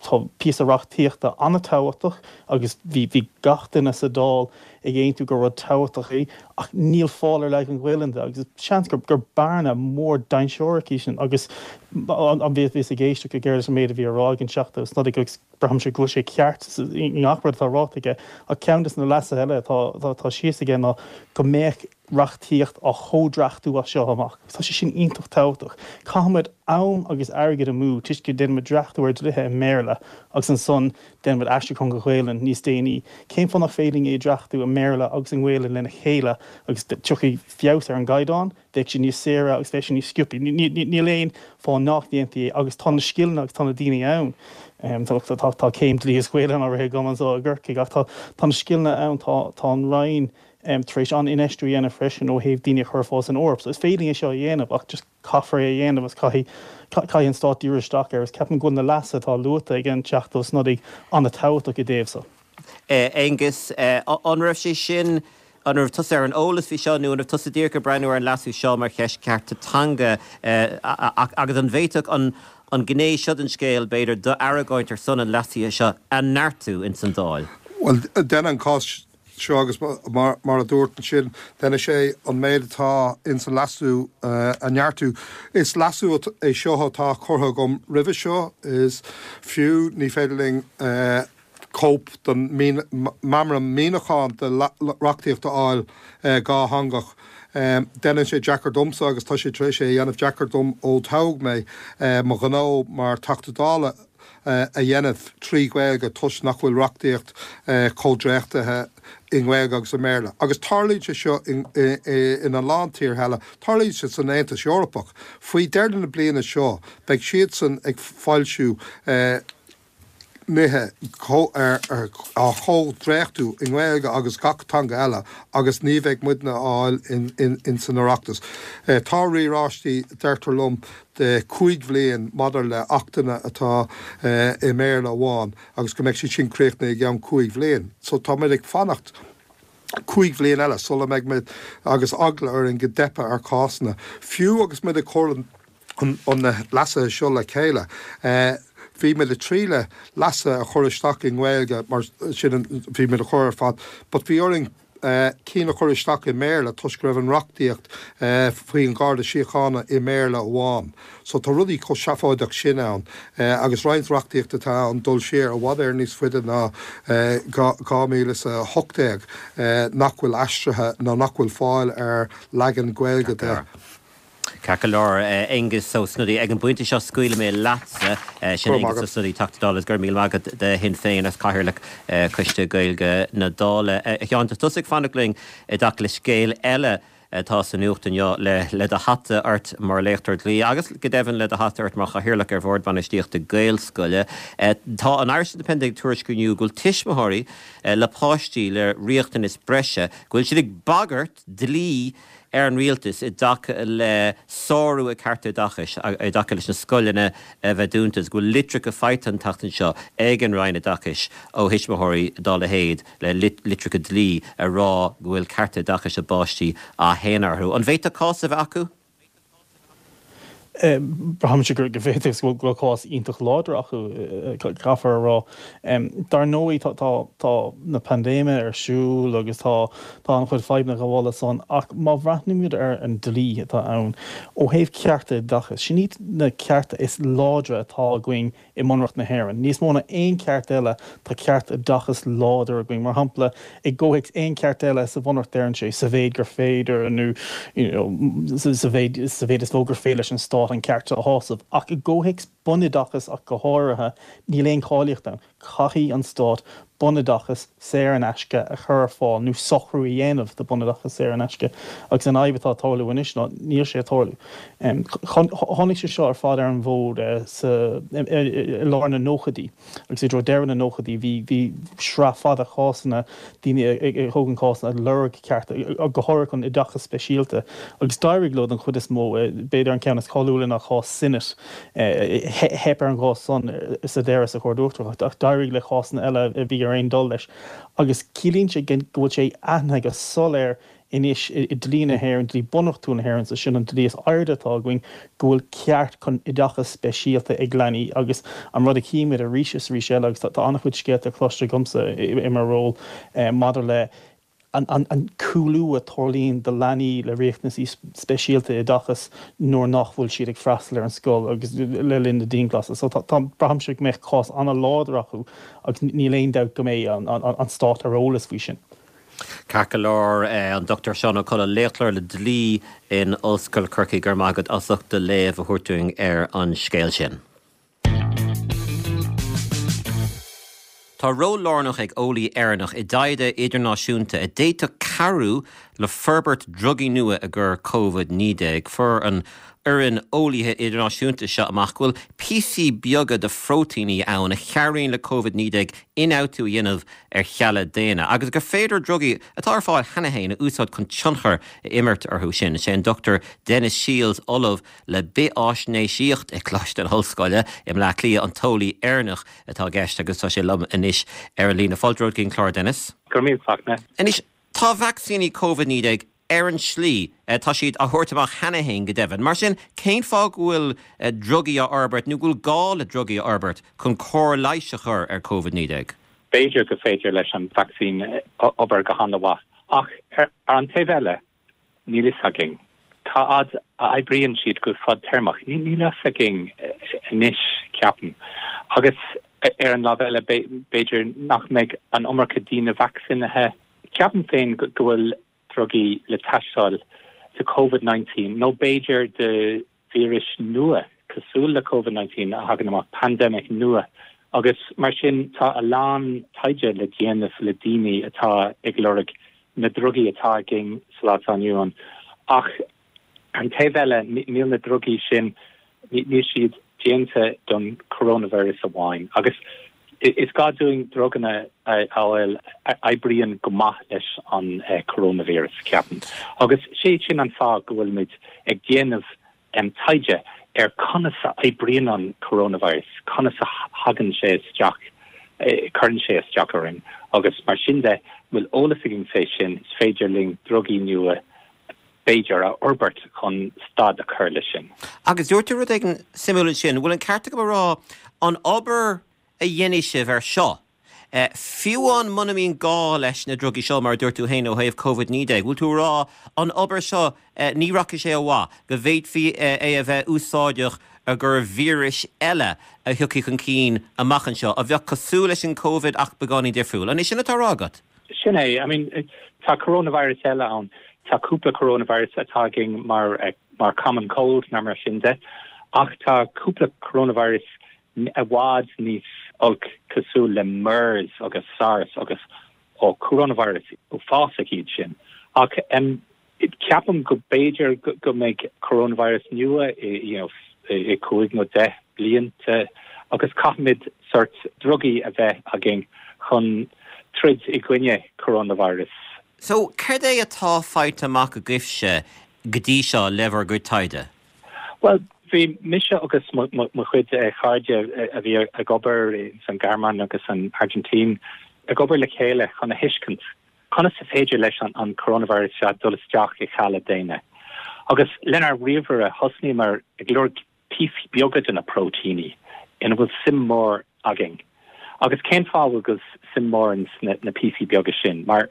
tá píosa reachtaíochta an-tábhachtach agus bhí bhí gach duine sa Dáil. ag aontú gur rud tábhachtach é ach níl fáil ar leagan Gaelainne de agus seans gur gur bearna mór dainséarach í sin agus an bhíos ag éisteacht go géar leis an méid a bhí á rá ag an Teachta Ó Snodaigh agus braithimse go bhfuil sé ceart i ngach rud atá ráite aige ach ceann de na leasuithe eile atá atá síos aige ná go mbeadh reachtaíocht á chomhdhreachtú as seo amach. Tá sé sin iontach tábhachtach. Caithfimid am agus airgead amú toisc go ndéanaimid dreachtú ar dlíthe i mBéarla agus ansan déanaimid aistriúchán go Gaelainn níos déanaí. Cén fáth nach féidir linn é a dhreachtú i mBéarla agus i nGaelainn lena chéile agus tiocfaidh feabhas ar an gcaighdeán, bheadh sé níos saoire agus bheadh sé níos sciobtha. Níl aon fáth nach ndéanfaí é agus tá na scileanna agus tá na daoine ann. Tá céim dlí is Gaelainn á rith agam anseo i gCorcaigh ach tá na scileanna ann, tá an Roinn tar éis an-infheistiú a dhéanamh freisin ó thaobh daoine a chur ar fáil san Eoraip. So is féidir linn é seo a dhéanamh ach just caithfear é a dhéanamh agus caithfidh, caithfidh an Stát díriú isteach air agus ceapaim go bhfuil na leasuithe atá luaite ag an Teachta Ó Snodaigh an-tábhachtach i dtaobh so. Aengus, an raibh sé sin, an raibh tusa ar an eolas faoi seo nó an raibh tusa díreach ag breathnú ar an leasú seo mar cheist cearta teanga agus an bhféadfadh an an gné seo den scéal, b'fhéidir, d'argóint ar son an leasaithe seo a neartú ins an Dáil? Bhuel, déanann an cás seo agus mar a dúirt ansin, déanfaidh sé an méid atá ins an leasú a neartú. Is leasú é seo atá curtha agam roimhe seo, is fiú ní féidir linn cóip den meamram míniúcháin de reachtaíocht a fháil dhátheangach. Déanann sé deacair domsa agus tá sé tar éis é a dhéanamh deacair dom ó toghadh mé mo ghnó mar Teachta Dála a dhéanamh trí Ghaeilge toisc nach bhfuil reachtaíocht comhdhréachtaithe i nGaeilge agus i mBéarla. Agus tarlaíonn sé seo ina lán tíortha eile. Tarlaíonn sé san Aontas Eorpach. Faoi dheireadh na bliana seo beidh siadsan ag foilsiú nithe á chomhdhréachtú i nGaeilge agus gach teanga eile agus ní bheidh muidne á fháil ins an Oireachtas. Tá riaráistí, deirtear liom, de chúig bhliain maidir le achtanna atá i mBéarla amháin agus go mbeidh siad sin críochnaithe i gceann cúig bhliain. So tá muid ag fanacht cúig bhliain eile sula mbeidh muid agus eagla orainn go dteipfidh ar chásanna. Fiú agus muid ag cur an na leasuithe seo le chéile, bhí muid ag triail leasuithe a chur isteach i nGaeilge mar sin bhí muid a chur ar fad but bhí orainn cinn a chur isteach i mBéarla toisc go raibh an reachtaíocht faoin Gharda Síochána i mBéarla amháin. So tá rudaí chomh seafóideach sin ann agus roinnt reachtaíocht atá ann dul siar i bhfad Éireann níos faide ná 2018 nach bhfuil aistrithe nó nach bhfuil fáil ar leagan Gaeilge de. Ceart go leor, Aengus Ó Snodaigh. Ag an bpointe seo scaoilfidh mé leatsa. Sin Aengus Ó Snodaigh, Teachta Dála, go raibh míle maith agat de Shinn Féin agus Cathaoirleach Choiste Gaeilge na Dála. A Sheáin, tá tusa ag fanacht linn i dtaca le scéal eile atá sa nuacht inniu, le do hata ort mar léachtóir dlí agus go deimhin le do hata ort mar Chathaoirleach ar Bhord Bainistíochta Gaelscoile. Tá an Irish Independent ag tuairisciú inniu go bhfuil tuismitheoirí le páistí le riachtanais breise, go bhfuil siad ag bagairt dlí ar an rialtas i dtaca le sárú a cearta oideachais i dtaca leis na scoileanna a bheith dúnta agus go bhfuil litreacha faighte an tseachtain seo ag an Roinn Oideachais ó thuismitheoirí dá leithéid le litreacha dlí ag rá go bhfuil cearta oideachais a bpáistí á shéanadh orthu. An bhféadfadh cás a bheith acu? Braithimse go bhféadfadh agus go bhfuil cás iontach láidir acu, caithfear a rá. Dar ndóigh tá na paindéime ar siúl agus tá an-chuid fadhbanna ag gabháil leis san ach má bhreathnaímid ar an dlí atá ann ó thaobh cearta oideachais, sin iad na cearta is láidre atá againn i mBunreacht na hÉireann. Níos mó ná aon cheart eile, tá ceart oideachais láidir againn. Mar shampla, i gcomhthéacs aon cheart eile sa Bhunreacht deireann sé, sa mhéid gur féidir nó you know sa mhéid sa mhéid is mó gur féidir leis an Stát an ceart seo a shásamh. Ach i gcomhthéacs bunoideachais ach go háirithe, níl aon cháilíocht ann. Caithfidh an Stát bunoideachas saor in aisce a chur ar fáil nó socrú a dhéanamh do bunoideachas saor in aisce agus an fhadhb atá ag tarlú anois ná níl sé ag tarlú. Tháinig sé seo ar fad ar an bhfód sa i lár na nóchaidí agus i dtreo deireadh na nóchaidí bhí bhí sraith fada cásanna daoine ag tógaint cásanna ag lorg cearta go háirithe chun oideachas speisialta agus d'éirigh leo den chuid is mó. B'fhéidir an ceann is cáiliúla ná cás Sinnott. Theip ar an gcás san sa deireadh sa Chúirt Uachtarach ach d'éirigh le cásanna eile a bhí ar aon dul leis agus ciallaíonn sé go bhfuil sé aithnithe go soiléir anois i dlí na hÉireann, dlí bunreachtúil na hÉireann, so sin an dlí is airde atá againn, go bhfuil ceart chun oideachas speisialta ag leanaí agus an rud a chímid arís is arís eile agus tá an-chuid scéalta cloiste agamsa i mo ról maidir le. An cúlú a tarlaíonn do leanaí le riachtanaisí speisialta oideachais nuair nach bhfuil siad ag freastal ar an scoil agus le linn na dianghlasála. So tá, braithimse go mbeadh cás an-láidir acu agus níl aon dabht go mbeidh an stát ar eolas faoi sin. Ceart go leor, an Dr Seán Ó Colla, léachtóir le dlí in Ollscoil Chorcaí, go raibh maith agat as ucht do léamh a thabhairt dúinn ar an scéal sin. Tá ról lárnach ag eolaí Éireannach i dtaighde idirnáisiúnta a d'fhéadfadh cabhrú le forbairt drugaí nua i gcomhair Covid-19. Fuair an fhoireann eolaithe idirnáisiúnta seo amach go bhfuil píosaí beaga de phróitíní ann a chabhraíonn le Covid-19 ionfhabhtú a dhéanamh ar chealla daonna agus gur féidir drugaí atá ar fáil cheana féin a úsáid chun tionchar a imirt orthu sin. Is é an Dr Denis Shields, Ollamh le Bithfháisnéisíocht i gColáiste na hOllscoile i mBleá Cliath, an t-eolaí Éireannach atá i gceist agus tá sé liom anois ar an líne. Fáilte romhat go dtí an clár, Denis. Go raibh míle maith agat. Anois, tá vacsaíní Covid-19 ar an slí, tá siad á thabhairt amach cheana féin go deimhin. Mar sin, cén fáth go bhfuil drugaí á fhorbairt nó go bhfuil gá le drugaí a fhorbairt chun cóir leighis a chur ar Covid-19? B'fhéidir go féidir leis an vacsaín obair go han-mhaith ach ar an taobh eile, Níl fhios againn. Cá fhad a oibríonn siad go fadtéarmach? Níl fhios againn anois, ceapaim. Agus ar an lámh eile, b'fhéidir nach mbeidh an iomarca daoine vacsaínithe. Ceapaim féin go bhfuil drugaí le teastáil do Covid-19 nó b'fhéidir do víris nua cosúil le Covid-19 a thagann amach, pandemic nua, agus mar sin tá a lán taighde le déanamh le daoine atá ag lorg na drugaí atá againn sa lá atá inniu ann. Ach ar an taobh eile, níl na drugaí sin, níl siad déanta don coronavirus amháin. Agus Is gá dúinn druganna a fháil a oibríonn go maith leis an coronavirus, ceapaim. Agus sé sin an fáth go bhfuilimid ag déanamh taighde ar conas a oibríonn an coronavirus, conas a thagann sé isteach, cuireann sé isteach orainn agus mar sin de, bhfuil eolas againn fé sin, is féidir linn drugaí nua b'fhéidir, a fhorbairt chun stad a chur leis sin. Agus dúirt tú rud éigin suimiúil ansin. Bhfuil an ceart agam a rá, an obair a dhéanfaidh sibh ar seo, fiú amháin muna mbíonn gá leis na drugaí seo, mar a dúirt tú féin ó thaobh Covid-19, bhfuil tú a rá, an obair seo, ní rachaidh sé ó mhaith, go bhféadfaí é a bheith úsáideach i gcomhair víris eile a thiocfaidh chun cinn amach anseo, a bheadh cosúil leis an Covid ach beagáinín difriúil. An é sin atá á rá agat? Sin é. I mean, tá coronavirus eile ann. Tá cúpla coronavirus atá againn mar mar common cold nó mar sin de. Ach tá cúpla coronavirus i bhfad níos olc cosúil le MERS agus SARS agus ó coronavirus uafásach iad sin. Ach um, Ceapaim go b'fhéidir go mbeidh coronavirus nua i you know i 5 nó 10 blianta agus caithfimid sort drugaí a bheith againn chun troid i gcoinne coronavirus. So, céard é atá faighte amach agaibhse go dtí seo le bhur gcuid taighde? Bhuel, bhí mise agus mo chuid cairde a bhí ag obair san Ghearmáin agus san Airgintín ag obair le chéile chun a thuiscint Conas is féidir leis an coronavirus seo dul isteach i chealla daonna? Agus lenár ríomhaire thosnaíomar ag lorg píosaí beaga de na próitíní ina bhfuil suim mór againn. Agus cén fáth a bhfuil suim mór ins na píosaí beaga sin? Mar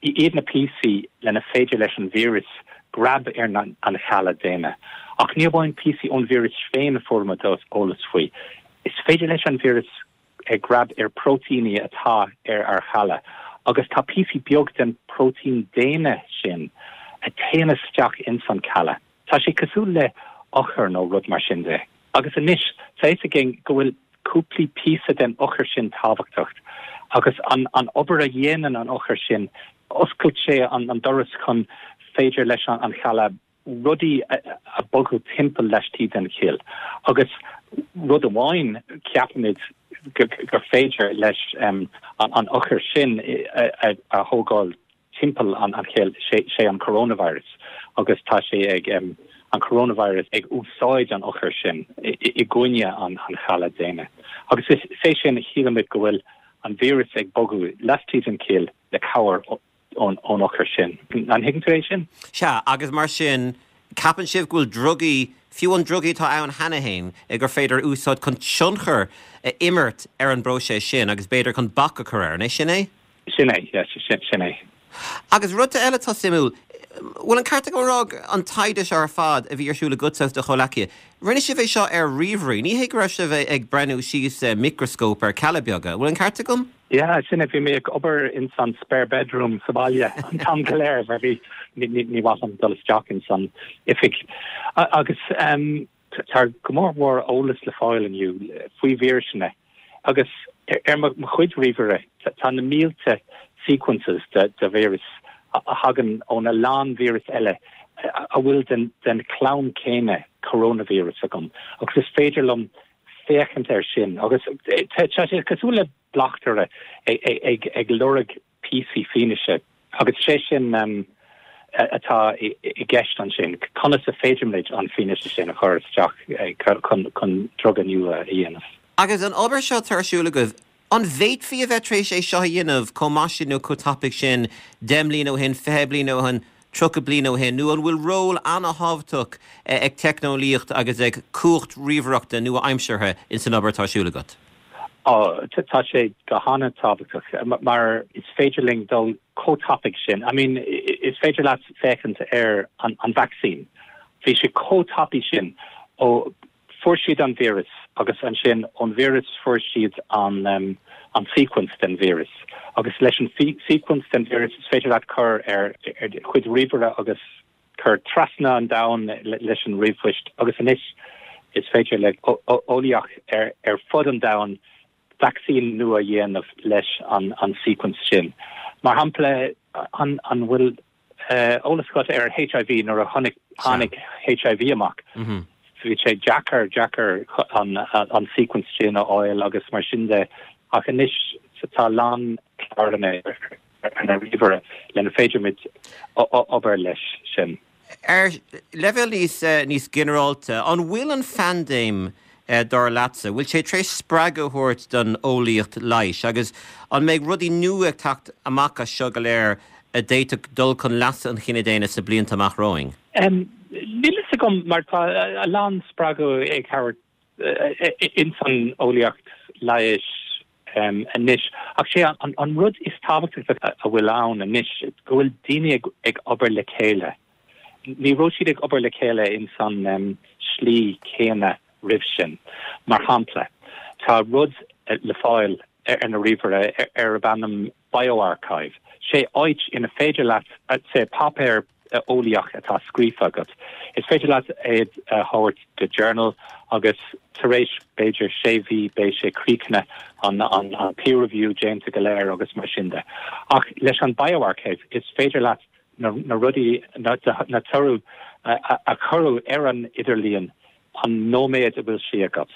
iad na píosaí lena féidir leis an víreas grab ar an chealla daonna. Ach ní amháin píosaí ón víreas féin a fuair muid eolas faoi. Is féidir leis an víreas ag grab ar próitíní atá ar ár chealla agus tá píosaí beag den próitín daonna sin a téann isteach ins an cealla. Tá sé cosúil le eochair nó rud mar sin de. Agus anois tá fhios againn go bhfuil cúplaí píosa den eochair sin tábhachtach agus an an obair a dhéanann an eochair sin oscailt sé an an doras chun féidir leis an chealla rudaí a bogadh timpeall laistigh den chill. Agus rud amháin, ceapaimid gur féidir leis an eochair sin a thógáil timpeall an chill, sé an coronavirus agus tá sé ag an coronavirus ag úsáid an eochair sin i gcoinne an chealla daonna. Agus is é sin, shílimid go bhfuil an víreas ag bogadh laistigh den chill le cabhair ón eochair sin. An thuigeann tú é sin? Sea, agus mar sin, ceapann sibh go bhfuil drugaí, fiú an drugaí atá ann cheana féin, gur féidir a úsáid chun tionchar a imirt ar an bpróiseas sin agus b'fhéidir chun bac a chur air. An é sin é? Sin é, yes, sin é. Agus rud eile atá suimiúil, bhfuil an ceart agam a rá an taighde seo ar fad a bhí ar siúl agatsa agus do chomhleacaithe, rinne sibh é seo ar ríomhairí, ní hé go raibh sibh ag breathnú síos micreascóp ar cealla beaga, bhfuil an ceart agam? Yeah, sin é, bhí mé ag obair ins an spare bedroom sa bhaile an t-am go léir mar bhí, ní mhaith liom dul isteach ins an oifig. Agus tá go mór mhór eolas le fáil inniu faoi víriseanna agus ar mo chuid ríomhaire tá na mílte sequences de víreas a thagann óna lán víreas eile a bhfuil den chlann céanna coronavirus agam agus is féidir liom féachaint air sin agus tá sé cosúil le bleachtaire ag lorg píosaí fianaise agus sé sin atá i gceist ansin, conas a féidirimid an fianaise sin a chur isteach chun druga nua a dhéanamh. Agus an obair seo atá ar siúl agaibh, an bhféadfaí a bheith tar éis é seo a dhéanamh chomh maith sin nó chomh tapaidh sin 10 mbliana ó shin, 20 bliain ó shin, 30 bliain ó shin, nó an bhfuil ról ana-thábhachtach ag teicneolaíocht agus ag cumhacht ríomhaireachta nua-aimseartha ins an obair atá ar siúl agat? Ó, tá sé go han-tábhachtach mar is féidir linn dul chomh tapaidh sin. I mean, is féidir leat féachaint ar an vacsaín. Bhí sé chomh tapaidh sin ó fuair siad an víreas agus ansin ón víreas fuair siad an an sequence den víreas. Agus leis an sequence den víreas is féidir leat cur ar do chuid ríomhaire agus cur trasna an domhain leis an ríomhphoist agus anois is féidir le eolaíoch ar fud an domhain vacsaín nua a dhéanamh leis an sequence sin. Mar shampla, an bhfuil eolas agat ar HIV nuair a tháinig HIV amach? Bhí sé deacair, deacair an sequence sin a fháil agus mar sin de ach anois tá a lán cláranna ar na ríomhaire lena féidirimid obair leis sin. Ar leibhéal níos níos ginearálta, an bhfuil an phaindéim, dar leatsa, bhfuil sé tar éis spreagadh a thabhairt don eolaíocht leighis agus an mbeidh rudaí nua ag teacht amach as seo go léir a d'fhéadfadh dul chun leasa an chine daonna sna blianta amach romhainn? Níl fhios agam mar tá a lán spreagadh ag thabhairt ins an eolaíocht leighis anois. Ach sé an rud is tábhachtaí a bhfuil ann anois go bhfuil daoine ag obair le chéile. Ní raibh siad ag obair le chéile ins an slí céanna roimh sin. Mar shampla, tá rud le fáil ar na ríomhaire arb ainm bioRxiv. Sé áit ina féidir leat, say, páipéar eolaíoch atá scríofa agat, is féidir leat é a thabhairt do journal agus tar éis b'fhéidir sé mhí beidh sé críochnaithe, an peer review déanta go léir agus mar sin de. Ach leis an bioRxiv is féidir leat na rudaí, na toradh a cuireadh ar an idirlíon an nóiméad a bhfuil sí agat.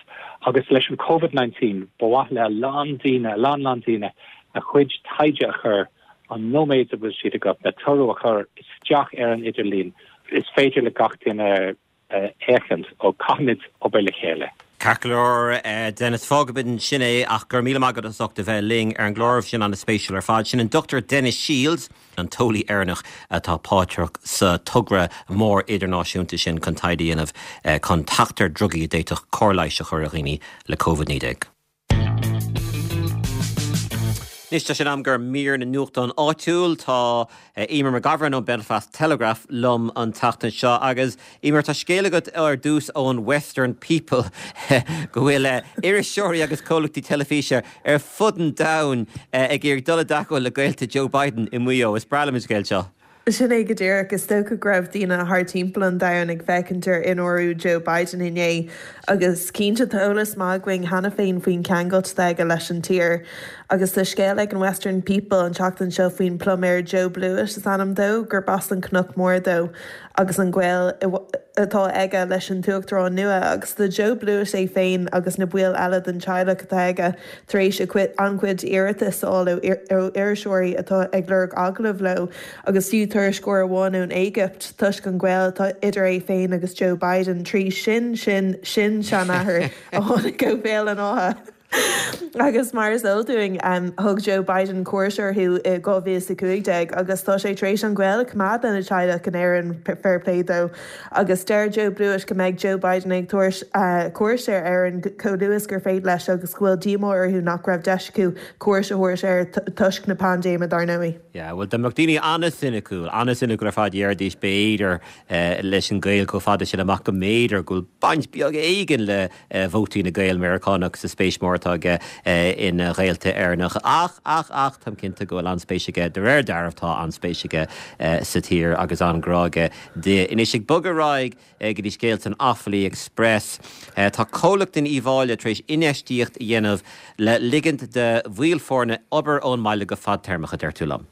Agus leis an Covid 19, ba mhaith le a lán daoine, a lán lán daoine, a chuid taighde a chur an nóiméad a bhfuil siad agat, na toradh a chur isteach ar an idirlíon. Is féidir le gach duine féachaint, ó caithfimid obair le chéile. Ceart go leor, Denis, fágfaimid ansin é ach go raibh míle maith agat as ucht a bheith linn ar an gclár, bhí sin an-spéisiúil ar fad. Sin an Dr Denis Shields. an t-eolaí Éireannach atá páirteach sa togra mór idirnáisiúnta sin chun taighde a dhéanamh chun teacht ar drugaí a d'fhéadfadh cóir leighis a chur ar dhaoine le Covid-19. Anois tá sé in am do mhír na nuachtán áitiúil. Tá Eimear McGovern ón Belfast Telegraph liom an tseachtain seo agus Eimear, tá scéal agat ar dtús ón Western People go bhfuil iriseoirí agus comhlachtaí teilifíse ar fud an domhain ag iarraidh dul i dteagmháil le gaolta Joe Biden i Maigh Eo. Is breá liom an scéal seo. Sin é go díreach. Is dócha go raibh daoine thar timpeall an domhain ag féachaint ar ionúrú Joe Biden inné agus cinnte tá eolas maith againn cheana féin faoin cheangailt atá aige leis an tír. Agus tá scéal ag an Western People an tseachtain seo faoin pluiméir Joe Blewett is ainm dó, gurb as an Cnoc Mór dó. agus an gaol atá aige leis an tUachtarán nua, agus tá Joe Blewett é féin agus na baill eile den teaghlach atá aige tar éis an-chuid iarratas a fháil ó iriseoirí atá ag lorg agallamh leo, agus fiú tuairisceoir amháin ón Éigipt, toisc an gaol atá idir é féin agus Joe Biden trí sin-sin-sin-seanathair a tháinig ó Bhéal an Átha. Agus mar is eol dúinn, thug Joe Biden cuairt orthu i 2015 agus tá sé tar éis an gaol a choimeád lena teaghlach in Éirinn, fair play dó. Agus deir Joe Blewett go mbeidh Joe Biden ag tabhairt cuairt ar Éirinn chomh luath is gur féidir leis agus go bhfuil díomá orthu nach raibh deis acu cuairt a thabhairt air toisc na paindéime, dar ndóigh. Yeah, bhuel, dá mbeadh daoine an-soiniciúil, an-soiniciúil ar fad, dhéarfaidís, b'fhéidir, leis an gaol chomh fada sin amach go mb'fhéidir go bhfuil baint beag éigin le vótaí na Gael Meiriceánach sa spéis mór atá aige ina ghaolta Éireannacha. Ach, ach, ach, táim cinnte go bhfuil an-spéis aige, de réir dealraimh tá an-spéis aige sa tír agus an-ghrá aige di. Anois, ag bogadh ar aghaidh go dtí scéal san Offaly Express, tá comhlacht in Uíbh Fhailí tar éis infheistíocht a dhéanamh le ligint do bhaill foirne obair ón mbaile go fadtéarmach, a deir tú liom.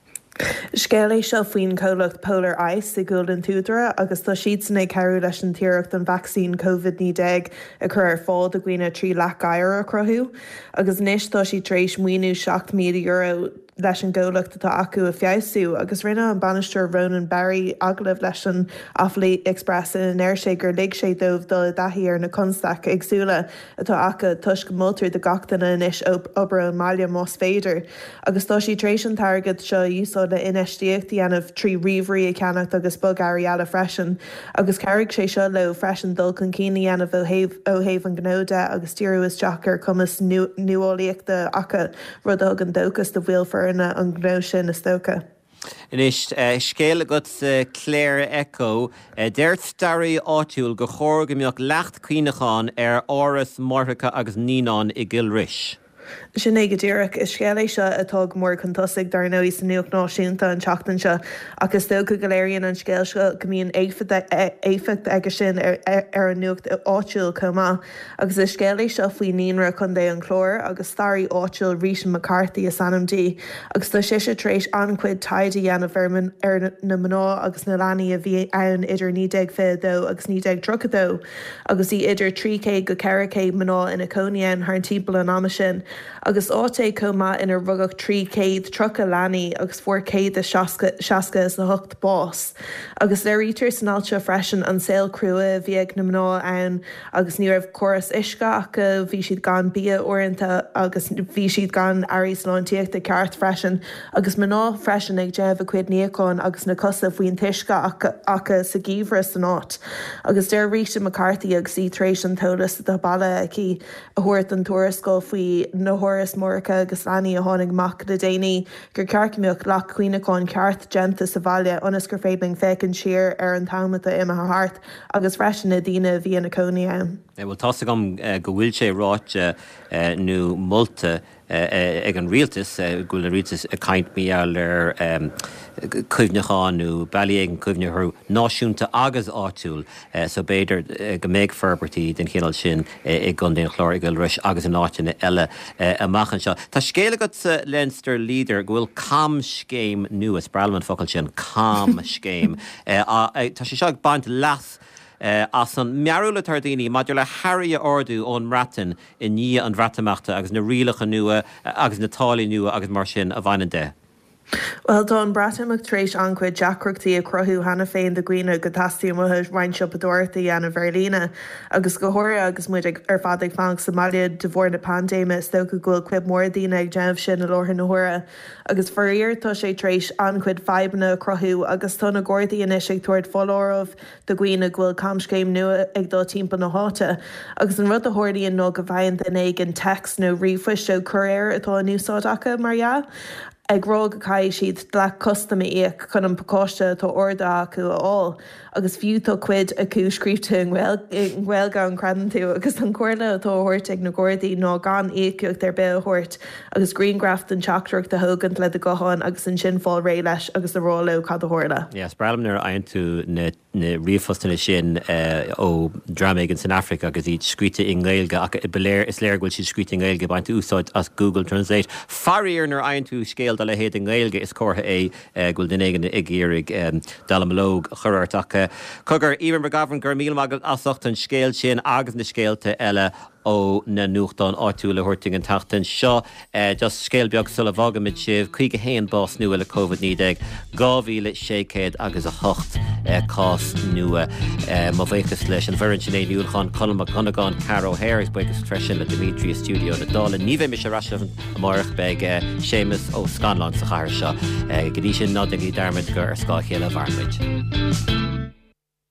Scéal é seo faoin chomhlacht Polar Ice i gCúil an tSúdaire agus tá siadsan ag cabhrú leis an t-iarracht an vacsaín Covid-19 a chur ar fáil do dhaoine trí leac oighir a chruthú. Agus anois tá siad tar éis maoiniú €7,000 leis an gcomhlacht atá acu a feabhsú agus rinne an bainisteoir Ronan Barry agallamh leis an Offaly Express ina ndeir sé gur lig sé dóibh dul i dtaithí ar na constaicí éagsúla atá acu toisc go moltar do gach duine anois obair ón mbaile más féidir agus tá siad tar éis an t-airgead seo a úsáid le infheistíocht a dhéanamh trí ríomhairí a cheannacht agus bogearraí eile freisin agus chabhraigh sé seo leo freisin dul chun cinn a dhéanamh ó thaobh ó thaobh an ghnó de agus díriú isteach ar chumas nuálaíochta acu, rud a thugann dóchas do bhaill foirne an ghnó sin is dócha. Anois, scéal agat sa Clare Echo. Deir staraí áitiúil gur chóir go mbeadh leacht cuimhneacháin ar áras máithreacha agus naíonán i gCill Rois. Sin é go díreach. Is scéal é seo atá go mór chun tosaigh, dar ndóigh, sa nuacht náisiúnta an tseachtain seo, ach is dócha go léiríonn an scéal seo go mbíonn éifeacht aige sin ar an nuacht áitiúil chomh maith. Agus is scéal é seo faoi Naíonra Chontae an Chláir agus staraí áitiúil Rita McCarthy is ainm di agus tá sise tar éis an-chuid taighde a dhéanamh ar na mná agus na leanaí a bhí ann idir 1922 agus 1932 agus bhí idir 300 go 400 mná ina cónaí ann thart timpeall an ama sin agus áit é chomh maith inar rugadh 330 leanaí agus fuair 168 bás. Agus léirítear san alt seo freisin an saol crua a bhí ag na mná ann agus ní raibh córas uisce acu, bhí siad gan bia uaireanta agus bhí siad gan earraí sláintíochta ceart freisin agus mná freisin ag déanamh a cuid níocháin agus na cosa faoin t-uisce acu sa gheimhreadh san áit. Agus deir Rita McCarthy agus í tar éis an t-eolas atá bailithe aici a thabhairt don tuarascáil faoi na hárais máithreacha agus leanaí a tháinig amach le déanaí gur ceart go mbeadh leacht cuimhneacháin ceart déanta sa bhaile ionas gur féidir linn féachaint siar ar an t-am atá imithe thart. agus freisin na daoine a bhí ina cónaí ann. Bhuel, tá's agam go bhfuil sé ráite nó molta ag an rialtas, go bhfuil an rialtas ag caint mar gheall ar cuimhneacháin nó bealaí éigin cuimhneamh orthu, náisiúnta agus áitiúil, so b'fhéidir go mbeidh forbairtí den chineál sin i gContae an Chláir, i gCill Rois agus in áiteanna eile amach anseo. Tá scéal agat sa Leinster Leader go bhfuil camscéim nua, is breá liom an focal sin, camscéim, Tá sé seo ag baint leas as an mbarúil atá ar daoine maidir le hearraí a ordú ón mBreatain i ndiaidh an Bhreatimeachta agus na rialacha nua agus na táillí nua agus mar sin a bhaineann de. Bhuel, tá an Breatimeacht tar éis an-chuid deacrachtaí a chruthú cheana féin do dhaoine go dteastaíonn uathu roinnt siopadóireachta a dhéanamh ar líne. Agus go háirithe agus muid ar fad ag fanacht sa mbaile de bharr na paindéime, is dócha go bhfuil cuid mhór daoine ag déanamh sin i láthair na huaire. Agus faraor tá sé tar éis an-chuid fadhbanna a chruthú agus tá na Gardaí anois ag tabhairt foláireamh do dhaoine go bhfuil camscéim nua ag dul timpeall na háite. Agus an rud a tharlaíonn ná go bhfaigheann duine éigin téacs nó ríomhphoist ó chúiréir atá in úsáid acu, mar dhea, ag rá go gcaithfidh siad dleacht custaim a íoc chun an pacáiste atá ordaithe acu a fháil. Agus fiú tá cuid acu scríobhta i nGaeilge, an gcreideann tú? Agus an chomhairle atá á thabhairt ag na Gardaí ná gan íocaíocht ar bith a thabhairt agus grianghraf den teachtaireacht a thógaint le do ghuthán agus ansin fáil réidh leis agus a rá leo cad a tharla. Yeah, is breá liom nuair a fhaigheann tú na ríomhphostanna sin ó dream éigin san Afraic agus iad scríte i nGaeilge ach ba léir, is léir go bhfuil siad scríte i nGaeilge, ag baint úsáid as Google Translate. Faraor nuair a fhaigheann tú scéal dá leithéid i nGaeilge is comhartha é go bhfuil duine éigin ag iarraidh dallamullóg a chur ort. Ach cogar, Emer McGovern, go raibh míle maith agat as ucht an scéal sin agus na scéalta eile. ó na nuachtáin áitiúla a thabhairt dúinn an tseachtain seo. Just scéal beag sula bhfágaimid sibh, 51 bás nua le Covid-19, 2,600 agus 8 cás nua. Mo bhuíochas leis an bhfoireann, Sinéad Ní Uallacháin, Conall Mac Dhonnagáin, Cara O'Hare agus buíochas freisin le Dimitri i stiúideo na Dála. Ní bheidh mise ar ais amárach, beidh Séamus Ó Scanláin sa chathair seo. Go dtí sin, ná déanaigí dearmad gur ar scáth a chéile a mhaireann muid.